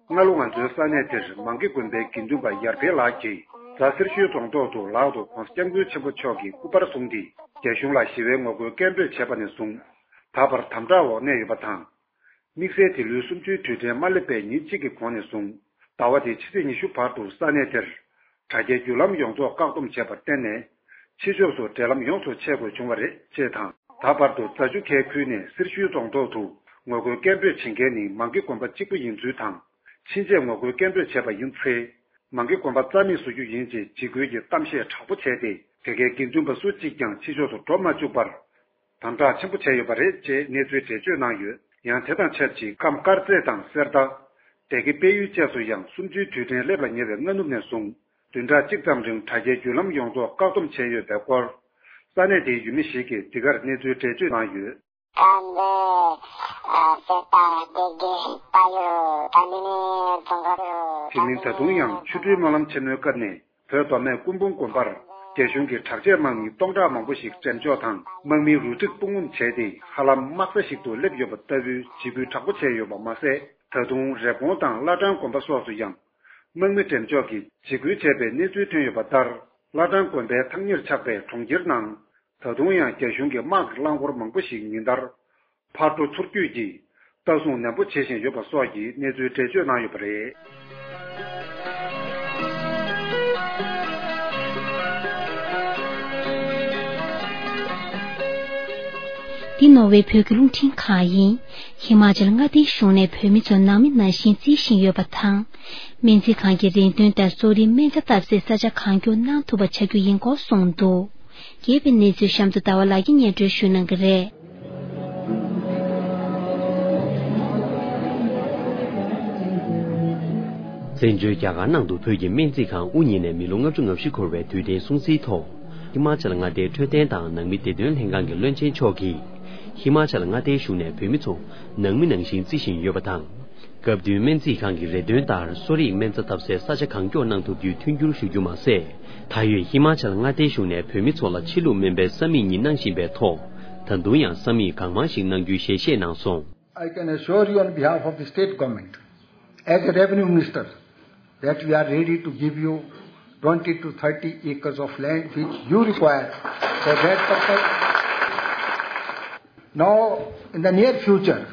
སྔ་ལོ་ང་ཚོའི་ས་གནས་དེར་མང་ཀི་དགོན་པའི་དགེ་འདུན་པ་ཡར་འཕེལ་ལགས་ཀྱིས། རྫ་སེར་ཤུལ་རྫོང་ཐོག་ཏུ་ལག་ཏུ་༸གོང་ས་༸སྐྱབས་མགོན་ཆེན་པོ་མཆོག་གི་སྐུ་པར་བཟུང་སྟེ། རྒྱ་གཞུང་ལ་ཞི་བའི་ངོ་རྒོལ་སྐད་འབོད་བྱས་པ་ནས་བཟུང་། ད་བར་དམ་དྲག་འོག་གནས་ཡོད་པ་དང་། དམིགས་བསལ་འདི་ལོའི་གསུམ་བཅུའི་དུས་དྲན་མ་སླེབས་པའི་ཉིན་གཅིག་གི་གོང་ནས་བཟུང་། ཟླ་བ་འདིའི་ཕྱི་ཚེས་ཉི་ཤུ་བར་དུ་ས་གནས་དེར། དྲ་རྒྱའི་བརྒྱུད་ལམ་ཡོངས་རྫོགས་བཀག་སྡོམ་བྱས་པར་བརྟེན་ནས། ཕྱི་ཕྱོགས་སུ་འབྲེལ་ལམ་ཡོངས་སུ་ཆད་དགོས་བྱུང་བ་རེད་ཅེས་དང་། ད་བར་དུ་རྫ་ཆུ་ཁའི་ཁུལ་ནས་སེར་ཤུལ་རྫོང་ཐོག་ཏུ་ངོ་རྒོལ་སྐད་འབོད་བྱེད་མཁན་ནི་མང་ཀི་དགོན་པ་གཅིག་པུ་ཡིན་ཚུལ་དང་། ཕྱིན་ཆད་ངོ་རྒོལ་སྐད་འབོད་བྱས་པ་ཡིན་ཚེ། མང་ཀི་དགོན་པ་རྩ་མེད་བཟོ་རྒྱུ་ཡིན་ཅེས་འཇིགས་སྐུལ་གྱི་གཏམ་བཤད་དྲག་པོ་བྱས་ཏེ། དེ་གའི་དགེ་འདུན་པ་སུ་གཅིག་ཀྱང་ཕྱི་ཕྱོགས་སུ་འགྲོ་མ་བཅུག་པར། དམ་དྲག་ཆེན་པོ་བྱས་ཡོད་པ་རེད་ཅེས་གནས་ཚུལ་འགྲེལ་བརྗོད་གནང་ཡོད། ཡང་དེ་དང་ཆབས་ཅིག་ཁམས་དཀར་མཛེས་དང་གསེར་རྟ། སྡེ་དགེ་དཔལ་ཡུལ་བཅས་སུ་ཡང་གསུམ་བཅུའི་དུས་དྲན་སླེབས་ལ་ཉེ་བའི་སྔ་ནུབ་ནས་བཟུང་། བདུན་ཕྲག་གཅིག་ཙམ་རིང་དྲ་རྒྱའི་བརྒྱུད་ལམ་ཡོངས་རྫོགས་བཀག་སྡོམ་བྱས་ཡོད་པའི་སྐོར། ས་གནས་དེའི་ཡུལ་མི་ཞིག་གིས་འདི་གར་གནས་ཚུལ་འགྲེལ་བརྗོད་གནང་ཡོད། དེ་མིན་ད་དུང་ཡང་ཆུ་སྦྲུལ་སྨོན་ལམ་ཆེན་མོའི་སྐབས་ནས། བོད་མདོ་སྨད་སྐུ་འབུམ་དགོན་པར་རྒྱ་གཞུང་གིས་དྲག་ཆས་དམག་མི་སྟོང་ཕྲག་མང་པོ་ཞིག་འགྲེམས་འཇོག་དང་། དམག་མིའི་རུ་སྒྲིག་སྤུངས་དམོད་བྱས་ཏེ། ཧ་ལམ་དམག་ས་ཞིག་ཏུ་སླེབས་ཡོད་པ་ལྟ་བུའི་འཇིགས་སྐུལ་དྲག་པོ་བྱས་ཡོད་པ་མ་ཟད། ད་དུང་རེབ་གོང་དང་བླ་བྲང་དགོན་པ་སོགས་སུ་ཡང་དམག་མི་འགྲེམས་འཇོག་གིས་འཇིགས་སྐུལ་བྱས་པའི་གནས་ཚུལ་ཐོན་ཡོད་པ་ལྟར། བླ་བྲང་དགོན་པའི་ཐག་ཉེར་ཆགས་པའི་གྲོང་ཁྱེར་ནང་། ད་དུང་ཡང་རྒྱ་གཞུང་གི་དམག་གི་རླངས་འཁོར་མང་པོ་ཞིག་ཉིན་ལྟར་ཕར་འགྲོ་ཚུར་སྐྱོད་ཀྱིས་ལྟ་སྲུང་ནན་པོ་བྱེད་བཞིན་ཡོད་པ་སོགས་ཀྱི་གནས་ཚུལ་འགྲེལ་བརྗོད་གནང་ཡོད་པ་རེད། འདི་ནོར་ཝེ་བོད་ཀྱི་རླུང་འཕྲིན་ཁང་ཡིན། ཧི་མ་ཅལ་མངའ་སྡེའི་གཞུང་ནས་བོད་མི་ཚོ་ནང་མི་ནང་བཞིན་བརྩི་བཞིན་ཡོད་པ་དང་། སྨན་རྩིས་ཁང་གི་རེ་འདུན་ལྟར་གསོ་རིག་སྨན་རྩྭ་བཏབ་སའི་ས་ཆ་གང་མགྱོགས་གནང་ཐུབ་པ་བྱ་རྒྱུ་ཡིན་སྐོར་གསུངས་འདུག། རྒྱས་པའི་གནས་ཚུལ་གཤམ་དུ་ཟླ་བ་ལགས་ཀྱིས་སྙན་སྒྲོན་ཞུ་གནང་གི་རེད། བཙན་བྱོལ་རྒྱ་གར་ནང་དུ་བོད་ཀྱི་སྨན་རྩིས་ཁང་དབུ་བརྙེས་ནས་མི་ལོ་ལྔ་བཅུ་ང་བཞི་འཁོར་བའི་དུས་དྲན་སྲུང་བརྩིའི་ཐོག། ཧི་མ་ཅལ་མངའ་སྡེའི་འཕྲོད་བསྟེན་དང་ནང་མི་བདེ་དོན་ལྷན་ཁང་གི་བློན་ཆེན་མཆོག་གིས། ཧི་མ་ཅལ་མངའ་སྡེའི་གཞུང་ནས་བོད་མི་ཚོ་ནང་མི་ནང་བཞིན་བརྩི་བཞིན་ཡོད་པ་དང་། སྐབས་བསྟུན་སྨན་རྩིས་ཁང་གི་རེ་འདུན་ལྟར་གསོ་རིག་སྨན་རྩྭ་བཏབ་སའི་ས་ཆ་གང་མགྱོགས་གནང་ཐུབ་རྒྱུའི་མཐུན་འགྱུར་ཞུ་རྒྱུ་མ་ཟད། ད་ཡོད་ཧི་མ་ཅལ་མངའ་སྡེའི་གཞུང་ནས་བོད་མི་ཚོ་ལ་ཕྱི་ལུགས་སྨན་པའི་ས་མིག་གཉིས་གནང་བཞིན་པའི་ཐོག། ད་དུང་ཡང་ས་མིག་གང་མང་ཞིག་གནང་རྒྱུའི་ཞལ་བཞེས་གནང་སོང་། I can assure you on behalf of the state government, as a revenue minister, that we are ready to give you twenty to thirty acres of land which you require for that purpose. Now, in the near future,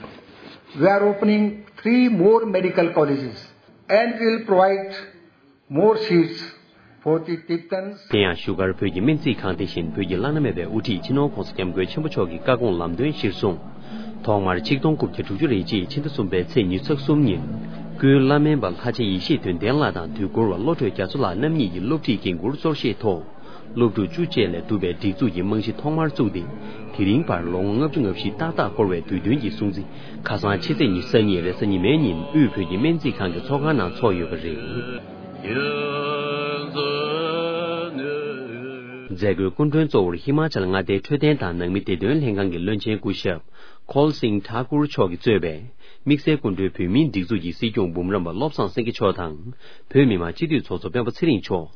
we are opening three more medical colleges and will provide more seats for the Tibetans. དེ་ཡང་བཞུགས་སྒར་བོད་ཀྱི་སྨན་རྩིས་ཁང་དེ་བཞིན་བོད་ཀྱི་བླ་ན་མེད་པའི་དབུ་ཁྲིད་སྤྱི་ནོར་༸གོང་ས་༸སྐྱབས་མགོན་ཆེན་པོ་མཆོག་གི་བཀའ་དགོངས་ལམ་སྟོན་གཞིར་བཟུང་། ཐོག་མར་ཆིག་སྟོང་དགུ་བརྒྱ་དྲུག་ཅུ་རེ་གཅིག་ཕྱི་ཟླ་གསུམ་པའི་ཚེས་ཉི་ཤུ་རྩ་གསུམ་ཉིན། སྐུའི་བླ་སྨན་པ་ལྷ་རྗེ་ཡེ་ཤེས་དོན་ལྡན་ལགས་དང་དུས་འཁོར་བ་བློ་གྲོས་རྒྱ་མཚོ་ལགས་རྣམ་གཉིས་ཀྱི་སློབ་ཁྲིད་འགན་འཁུར་གཙོར་བཞེས་ཐོག། སློབ་ཕྲུག་བཅུ་བཅས་ལས་གྲུབ་པའི་སྒྲིག་འཛུགས་ཀྱི་རྨང་གཞི་ཐོག་མར་བཙུགས་ཏེ། དེ་རིང་བར་ལོ་ངོ་ལྔ་བཅུ་ང་བཞི་ཏག་ཏག་འཁོར་བའི་དུས་སྟོན་གྱི་སྲུང་བརྩི་ཁ་སང་ཕྱི་ཚེས་ཉི་ཤུ་རྩ་གཉིས་རེས་གཟའ་ཉི་མའི་ཉིན་དབུས་བོད་ཀྱི་སྨན་རྩིས་ཁང་གི་ཚོགས་ཁང་ནང་འཚོགས་ཡོད་པ་རེད། མཛད་སྒོའི་སྐུ་མགྲོན་གཙོ་བོར་ཧི་མ་ཅལ་མངའ་སྡེའི་འཕྲོད་བསྟེན་དང་ནང་མི་བདེ་དོན་ལྷན་ཁང་གི་བློན་ཆེན་སྐུ་ཞབས་ཁོལ་སིང་ཐཱ་ཀུར་མཆོག་གིས་གཙོས་པའི་དམིགས་བསལ་སྐུ་མགྲོན་བོད་མིའི་སྒྲིག་འཛུགས་ཀྱི་སྲིད་སྐྱོང་འབུམ་རམས་པ་བློ་བཟང་སེང་གེ་མཆོག་དང་། བོད་མི་མང་སྤྱི་འཐུས་ཚོགས་གཙོ་སྤེན་པ་ཚེ་རིང་མཆོག།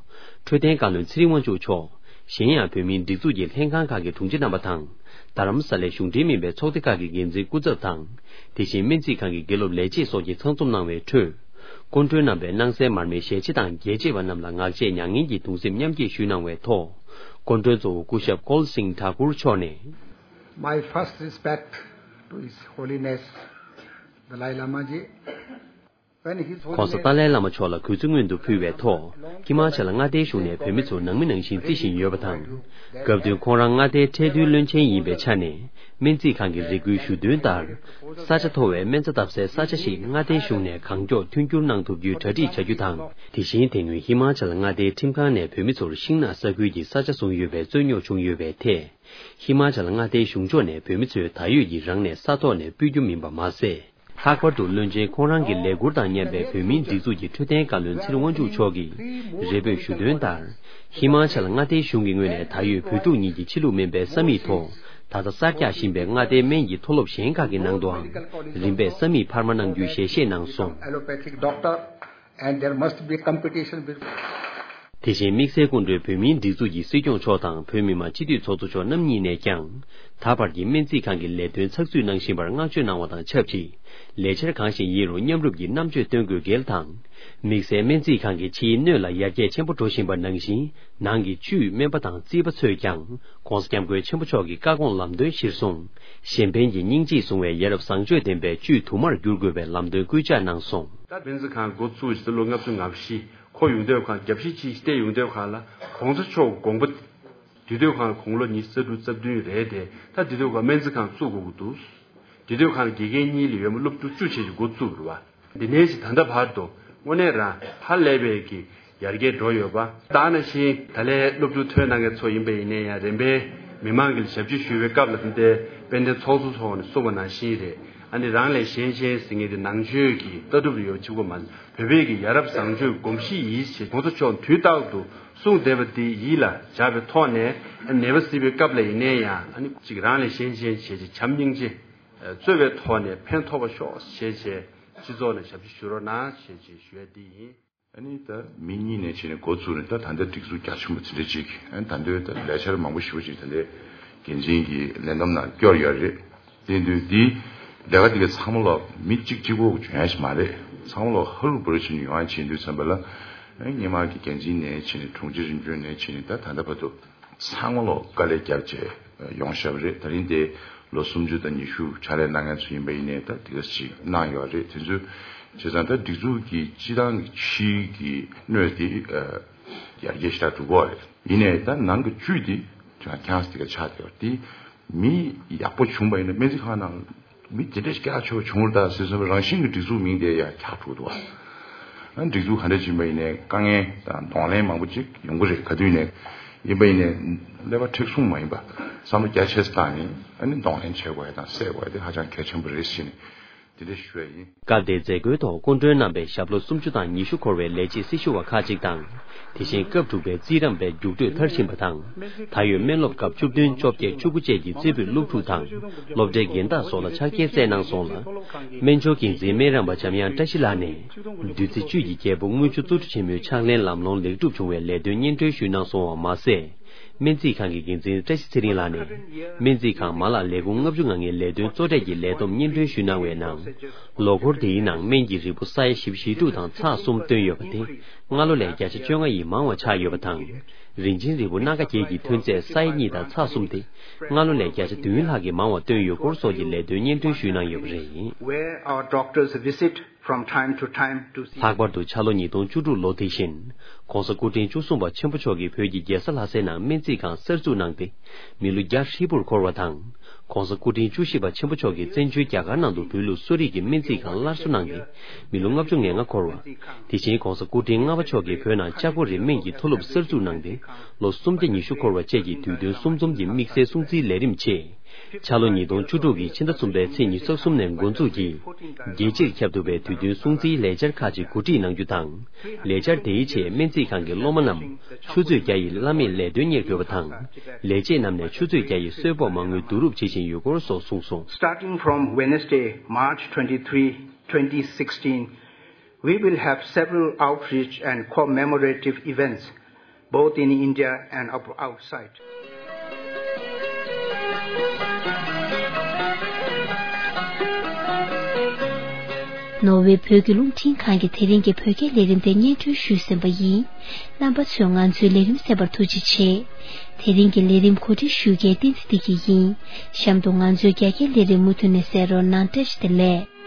འཕྲོད་བསྟེན་བཀའ་བློན་ཚེ་རིང་དབང་ཕྱུག་མཆོག། གཞན་ཡང་བོད་མིའི་སྒྲིག་འཛུགས་ཀྱི་ལྷན་ཁང་ཁག་གི་དྲུང་ཆེ་རྣམ་པ་དང་། རྡ་རམ་ས་ལའི་གཞུང་འབྲེལ་མིན་པའི་ཚོགས་སྡེ་ཁག་གི་འགན་འཛིན་སྐུ་ཚབ་དང་། དེ་བཞིན་སྨན་རྩིས་ཁང་གི་དགེ་སློབ་ལས་བྱེད་སོགས་ཀྱིས་ཚང་འཛོམས་གནང་བའི་ཁྲོད། སྐུ་མགྲོན་རྣམ་པས་སྣང་གསལ་མར་མེའི་ཞལ་ལྕེ་དང་རྒྱལ་གཅེས་པ་རྣམས་ལ་ངག་བཅད་མྱ་ངན་གྱི་གདུང་སེམས་མཉམ་སྐྱེད་ཞུས་གནང་བའི་ཐོག། སྐུ་མགྲོན་གཙོ་བོ་སྐུ་ཞབས་ཀོལ་སིང་ཐ་ཀུར་མཆོག་ནས། My first respect to His Holiness Dalai Lama ji. When His Holiness གོང་ས་ཏཱ་ལའི་བླ་མ་མཆོག་ལ་གུས་བརྩི་སྔོན་དུ་ཕུལ་བའི་ཐོག་ཧི་མ་ཅལ་མངའ་སྡེའི་གཞུང་ནས་བོད་མི་ཚོ་ནང་མི་ནང་བཞིན་བརྩི་བཞིན་ཡོད་པ་དང་། སྐབས་དོན་ཁོང་རང་མངའ་སྡེའི་ཁྲལ་བསྡུའི་བློན་ཆེན་ཡིན་པའི་ཆ་ནས། སྨན་རྩིས་ཁང་གི་རེ་སྐུལ་ཞུ་དོན་ལྟར། ས་ཆ་མཐོ་བའི་སྨན་རྩྭ་བཏབ་སའི་ས་ཆ་ཞིག་མངའ་སྡེའི་གཞུང་ནས་གང་མགྱོགས་མཐུན་འགྱུར་གནང་ཐུབ་རྒྱུའི་གྲ་སྒྲིག་བྱ་རྒྱུ་དང་། དེ་བཞིན་དེ་སྔོན་ཧི་མ་ཅལ་མངའ་སྡེའི་ཁྲིམས་ཁང་ནས་བོད་མི་ཚོར་ཤིང་ནགས་ས་ཁུལ་གྱི་ས་ཆ་བཟུང་ཡོད་པའི་རྩོད་རྙོག་བྱུང་ཡོད་པའི་ཐད། ཧི་མ་ཅལ་མངའ་སྡེའི་གཞུང་ཕྱོགས་ནས་བོད་མི་ཚོས་ད་ཡོད་ཀྱི་རང་ནས་ས་ཐོག་ནས་སྤོ་རྒྱུ་མིན་པ་མ་ཟད། ལྷག་པར་དུ་བློན་ཆེན་ཁོང་རང་གི་ལས་ཁུར་དང་མཉམ་པའི་བོད་མིའི་སྒྲིག་འཛུགས་ཀྱི་འཕྲོད་བསྟེན་བཀའ་བློན་ཚེ་རིང་དབང་ཕྱུག་མཆོག་གིས་རེ་འབོད་ཞུ་དོན་ལྟར། ཧི་མ་ཅལ་མངའ་སྡེའི་གཞུང་གི་ངོས་ནས་ད་ཡོད་བོད་ཕྲུག་གཉིས་ཀྱི་ཕྱི་ལུགས་སྨན་པའི་ས་མིག་ཐོག་ད་ལྟ་གསར་རྒྱག་བཞིན་པའི་མངའ་སྡེའི་སྨན་གྱི་མཐོ་སློབ་གཞན་ཁག་གི་ནང་དུའང་རིམ་པས་ས་མིག་འཕར་མ་གནང་རྒྱུའི་ཞལ་བཞེས་གནང་སོང་། Allopathic doctor and there must be competition between དེ་བཞིན་དམིགས་བསལ་སྐུ་མགྲོན་བོད་མིའི་སྒྲིག་འཛུགས་ཀྱི་སྲིད་སྐྱོང་མཆོག་དང་བོད་མི་མང་སྤྱི་འཐུས་ཚོགས་གཙོ་མཆོག་རྣམ་གཉིས་ནས་ཀྱང་། ད་བར་གྱི་སྨན་རྩིས་ཁང་གི་ལས་དོན་ཚགས་ཚུད་གནང་བཞིན་པར་བསྔགས་བརྗོད་གནང་བ་དང་ཆབས་ཅིག་ལས་འཆར་གང་ཞིག་ཡིན་རུང་མཉམ་རུབ་ཀྱིས་རྣམ་དཔྱོད་སྟོན་དགོས་གལ་དང་། དམིགས་བསལ་སྨན་རྩིས་ཁང་གི་ཕྱིའི་སྣོད་ལ་ཡར་རྒྱས་ཆེན་པོ་འགྲོ་བཞིན་པ་ནང་བཞིན། ནང་གི་བཅུད་སྨན་པ་དང་རྩིས་པ་ཚོས་ཀྱང་། ྋགོང་ས་ྋསྐྱབས་མགོན་ཆེན་པོ་མཆོག་གི་བཀའ་དགོངས་ལམ་སྟོན་གཞིར་བཟུང་། གཞན་ཕན་གྱི་སྙིང་རྗེས་བཟུང་བའི་ཡ་རབས་བཟང་སྤྱོད་ལྡན་པའི་བཅུད་དུ་མར་བསྒྱུར་དགོས་པའི་ལམ་སྟོན་སྐུལ་ལྕག་གནང་སོང་། ད་སྨན་རྩིས་ཁང་འགོ་བཙུགས་ཕྱི་ལོ་ལྔ་བཅུ་ང་བཞི། ཁོ་ཡོང་དུས་ཁང་རྒྱབ་བཤིག་ཅིག་བལྟས་ཡོང་དུས་ཁང་ལ་ྋགོང་ས་མཆོག་དགོངས་པ་དེ་དུས་ཁང་དགུང་ལོ་ཉི་ཤུ་རྩ་དྲུག་རྩ་བདུན་རེད་དེ། ད་དེ་དུས་ཁང་སྨན་རྩིས་ཁང་བཙུགས་དགོས་ཀྱི་འདུག་དེ་དུས་ཁང་དགེ་རྒན་གཉིས་ལས་ཡོད་མ་སློབ་ཕྲུག་བཅུ་བྱས་ཀྱི་འགོ་བཙུགས་རེད་བ། འདི་ནས་ཅིག་ད་ལྟ་བར་དུ་དངོས་གནས་རང་ཧ་ལས་པའི་གི་ཡར་རྒྱས་འགྲོ་ཡོད་པ། ད་ནང་བཞིན་ད་ལན་སློབ་ཕྲུག་ཐོན་གནང་མཁན་ཚོ་ཡིན་པ་ཡིན་ནའི་ཡང་རིམ་པས་མི་མང་གི་ཞབས་ཕྱི་ཞུ་བའི་སྐབས་ལ་དེ་འདྲའི་དཔལ་ལྡན་ཚོགས་གཙོ་མཆོག་ནས་གསུངས་པ་ནང་བཞིན་རེད། ཨ་ནི་རང་ལས་གཞན་གཅེས་ཟེར་མཁན་དེ་ནང་ཆོས་ཀྱི་ལྟ་གྲུབ་ལ་ཡོད་ཆེ་གོ་མ། བོད་པའི་གི་ཡ་རབས་བཟང་སྤྱོད་གོམས་གཤིས་ཡིད་བྱེད་ྋགོང་ས་མཆོག་དུས་རྟག་ཏུ་གསུངས་བསྡད་པ་དེ་ཡིད་ལ་འཇགས་པའི་ཐོག་ནས་ཨ་ནི་ནད་པ་གཟིགས་པའི་སྐབས་ལ་ཡིན་ནའི་ཡང་ཨ་ནི་གཅིག་རང་ལས་གཞན་གཅེས་བྱས་ཅིག་བྱམས་སྙིང་རྗེ་གཙོ་བའི་ཐོག་ནས་ཕན་ཐོགས་པ་ཤོག་བྱས་བྱས་སྤྱི་ཚོགས་ནས་ཞབས་ཕྱི་ཞུ་རོགས་གནང་བྱས་བྱས་ཞུ་ཡ་འདི་ཡིན། ཨ་ནི་ད་མི་གཉིས་ནས་བྱས་ནས་འགོ་བཙུགས་ནས་ད་ད་ལྟ་སྒྲིག་འཛུགས་རྒྱ་ཆེན་པོ་དེ་འདྲ་ཅིག་ཨ་ནི་ད་ལྟའི་ད་ལས་འཆར་མང་པོ་ཞེ་པོ་ཅིག་ད་ལྟའི་འགན་འཛིན་གྱི་ལས་བསྡོམས་ནང་བསྐྱོར་ཡོད་རེད། དེ་དུས་འདི་ལས་ཀ་དེ་ག་ཚང་མ་ལོག་མི་གཅིག་གཅིག་པོ་འཇོན་ཡ་ཞིག་མ་རེད། ཚང་མ་ལོག་ཧ་རུ་བུ་རུ་བྱས་ནས་ཡོང་ཡ་བྱེད་དུས་ཙམ་པ་ལ་ཨ་ནི་སྔོན་མ་གི་འགན་འཛིན་ནས་བྱས་ནས་དྲུང་ཆེ་རིམ་བྱོན་ནས་བྱས་ནས་ད་ད་ལྟ་བར་དུ་ཚང་མ་ལོག་དཀའ་ལས་བརྒྱབ་བྱས་ཡོང་བཞག་པ་རེད། ད་རིང་དེ་ལོ་སུམ་ཅུ་དང་ཉི་ཤུ་ཕྱག་ལས་གནང་མཁན་ཚོ་ཡིན་པ་ཡིན་ནའི་ད་དེ་ག་ཅིག་གནང་ཡོད་རེད། དེ་ཚོ་བྱས་ཙང་ད་སྒྲིག་འཛུགས་ཀྱི་སྤྱི་བཏང་གི་ཕྱིའི་གི་སྣོད་དེ་ཡར་རྒྱས་ཞེ་དྲག་འགྲོ་གི་ཡོད་རེད། ཡིན་ནའི་ད་ནང་གི་བཅུད་དེ་ཁྱང་ཁྱང་སེ་དེ་ག་ཆགས་བསྡད་ཡོད་རེད། དེ་མི་ཡག་པོ་བྱུང་པ་ཡིན་ན་སྨན་རྩིས་ཁང་ནང་མི་དེ་འདྲ་ཞིག་སྐྱེ་ཁ་ཆེ་བ་བྱུང་རེད་ད་ཟེར་བསམ་པའི་རང་བཞིན་གྱི་སྒྲིག་འཛུགས་མིང་དེ་ཡང་འཁྱག་འགྲོ་འདུག་བ། ཨ་སྒྲིག་འཛུགས་ག་འདྲ་ཕྱིན་པ་ཡིན་ནའི་དཀའ་ངལ་དང་གདོང་ལེན་མང་པོ་ཅིག་ཡོང་གི་རེད། ག་དུས་ནས་ཡིན་པ་ཡིན་ནའི་ཀླད་པ་མཁྲེགས་བཟུང་མ་ཡིན་པ་བསམ་བློ་རྒྱ་ཆེ་ཙམ་བཏང་ནས་ཨ་ནི་གདོང་ལེན་བྱེད་དགོས་ཡ་དང་སེལ་དགོས་ཡ་དེ་ཧ་ཅང་གལ་ཆེན་པོ་རེད་ཟེར་ནས་དེ་འདྲ་ཞུ་ཡ་ཡིན། སྐབས་དེའི་མཛད་སྒོའི་ཐོག་སྐུ་མགྲོན་རྣམ་པས་ཞབས་ལོ་སུམ་ཅུ་དང་ཉི་ཤུ་འཁོར་བའི་ལས་བྱེད་སྲི་ཞུ་བ་ཁག་ཅིག་དང་། དེ་བཞིན་སྐབས་དྲུག་པའི་རྩིས་རིག་པའི་རྒྱུགས་སྤྲོད་མཐར་ཕྱིན་པ་དང་། ད་ཡོད་སྨན་སློབ་སྐབས་བཅུ་བདུན་བཅོ་བརྒྱད་བཅུ་དགུ་བཅས་ཀྱི་རྩེ་ཕུད་སློབ་ཕྲུག་དང་། སློབ་གྲྭའི་རྒན་བདག་སོགས་ལ་ཕྱག་འཁྱེར་སྩལ་གནང་སོང་ལ། སྨན་ཆུང་འགན་འཛིན་སྨན་རམས་པ་འཇམ་དབྱངས་བཀྲ་ཤིས་ལགས་ནས། བདུད་རྩི་བཅུད་ཀྱི་རྒྱལ་པོ་དངུལ་ཆུ་གཙོ་བཀྲུ་ཆེན་མོའི་ཕྱག་ལེན་ལམ་ལྷོང་ལེགས་གྲུབ་བྱུང་བའི་ལས་དོན་སྙན་སྒྲོན་ཞུས་གནང་སོང་བ་མ་ཟད། སྨན་རྩིས་ཁང་གི་འགན་འཛིན་བཀྲ་ཤིས་ཚེ་རིང་ལགས་ནས། སྨན་རྩིས་ཁང་མ་ལག་ལས་ཁུངས་ལྔ་བཅུ་ང་ལྔའི་ལས་དོན་གཙོ་གྲས་ཀྱི་ལས་བསྡོམས་སྙན་སྒྲོན་ཞུས་གནང་བའི་ནང་། ལོ་འཁོར་དེའི་ནང་སྨན་གྱི་རིལ་བུ་ས་ཡ་བཞི་བཅུ་ཞེ་དྲུག་དང་ཚེག་གསུམ་བཏོན་ཡོད་པ་དེ། སྔ་ལོ་ལས་བརྒྱ་ཆ་བཅོ་ལྔ་ཡིས་མང་བ་ཆགས་ཡོད་པ་དང་། རིན་ཆེན་རིལ་བུ་སྣ་ཁ་བརྒྱད་ཀྱི་ཐོན་ཚད་ས་ཡ་གཉིས་དང་ཚེག་གསུམ་དེ། སྔ་ལོ་ལས་བརྒྱ་ཆ་བདུན་ལྷག་གིས་མང་བ་བཏོན་ཡོད་སྐོར་སོགས་ཀྱི་ལས་དོན་སྙན་སྒྲོན་ཞུས་གནང་ཡོད་པ་རེད། Where our doctors visit from time to time to see. ལྷག་པར་དུ་འཆར་ལོ་ཉིས་སྟོང་བཅུ་དྲུག་ལོ་དེ་བཞིན། ྋགོང་ས་སྐུ་ཕྲེང་བཅུ་གསུམ་པ་ཆེན་པོ་མཆོག་གིས་བོད་ཀྱི་རྒྱལ་ས་ལྷ་སའི་ནང་སྨན་རྩིས་ཁང་གསར་འཛུགས་གནང་སྟེ། མི་ལོ་བརྒྱ་ཧྲིལ་པོར་འཁོར་བ་དང་། ྋགོང་ས་སྐུ་ཕྲེང་བཅུ་བཞི་པ་ཆེན་པོ་མཆོག་གིས་བཙན་བྱོལ་རྒྱ་གར་ནང་དུ་བོད་ལུགས་གསོ་རིག་གི་སྨན་རྩིས་ཁང་སླར་གསོ་གནང་སྟེ། མི་ལོ་ལྔ་བཅུ་ང་ལྔ་འཁོར་བ། དེ་བཞིན་ྋགོང་ས་སྐུ་ཕྲེང་ལྔ་པ་མཆོག་གིས་བོད་ནང་ལྕགས་པོ་རི་སྨན་གྱི་མཐོ་སློབ་གསར་འཛུགས་གནང་སྟེ། ལོ་སུམ་བརྒྱ་ཉི་ཤུ་འཁོར་བ་བཅས་ཀྱི་དུས་སྟོན་གསུམ་འཛོམས་ཀྱི་དམིགས་བསལ་སྲུང་བརྩིའི་ལས་རིམ་ཆེད། འཆར་ལོ་ཉིས་སྟོང་བཅུ་དྲུག་གི་ཕྱི་ཟླ་གསུམ་པའི་ཚེས་ཉི་ཤུ་རྩ་གསུམ་ནས་འགོ་འཛུགས་ཀྱིས། རྒྱལ་སྤྱིར་ཁྱབ་ཐུབ་པའི་དུས་སྟོན་སྲུང་བརྩིའི་ལས་འཆར་ཁག་ཅིག་གོ་སྒྲིག་གནང་རྒྱུ་དང་། ལས་འཆར་དེའི་ཆེད་སྨན་རྩིས་ཁང་གི་སློབ་མ་རྣམས་ཆུ་ཚོད་བརྒྱ་ཡི་བླ་མེད་ལས་དོན་གཉེར་དགོས་པ་དང་། ལས་བྱེད་རྣམས་ནས་ཆུ་ཚོད་བརྒྱ་ཡི་གསོལ་ཕོགས་མ་དངུལ་བསྡུ་རུབ་བྱེད་བཞིན་ཡོད་སྐོར་སོགས་གསུངས་སོང་། Starting from Wednesday, March twenty-three, twenty sixteen, we will have several outreach and commemorative events, both in India and ab-, outside. ནོར་ཝེ་བོད་ཀྱི་རླུང་འཕྲིན་ཁང་གིས་དེ་རིང་གི་བོད་སྐད་ལས་རིམ་དེ་སྙན་སྒྲོན་ཞུས་ཟིན་པ་ཡིན། རྣམ་པ་ཚོས་ང་ཚོའི་ལས་རིམ་གསན་པར་ཐུགས་རྗེ་ཆེ། དེ་རིང་གི་ལས་རིམ་གོ་སྒྲིག་ཞུ་མཁན་བསྟན་འཛིན་བདེ་སྐྱིད་ཡིན། གཤམ་དུ་ང་ཚོའི་རྒྱ་སྐད་ལས་རིམ་མུ་མཐུད་ནས་གསན་རོགས་གནང་། བཀྲ་ཤིས་བདེ་ལེགས།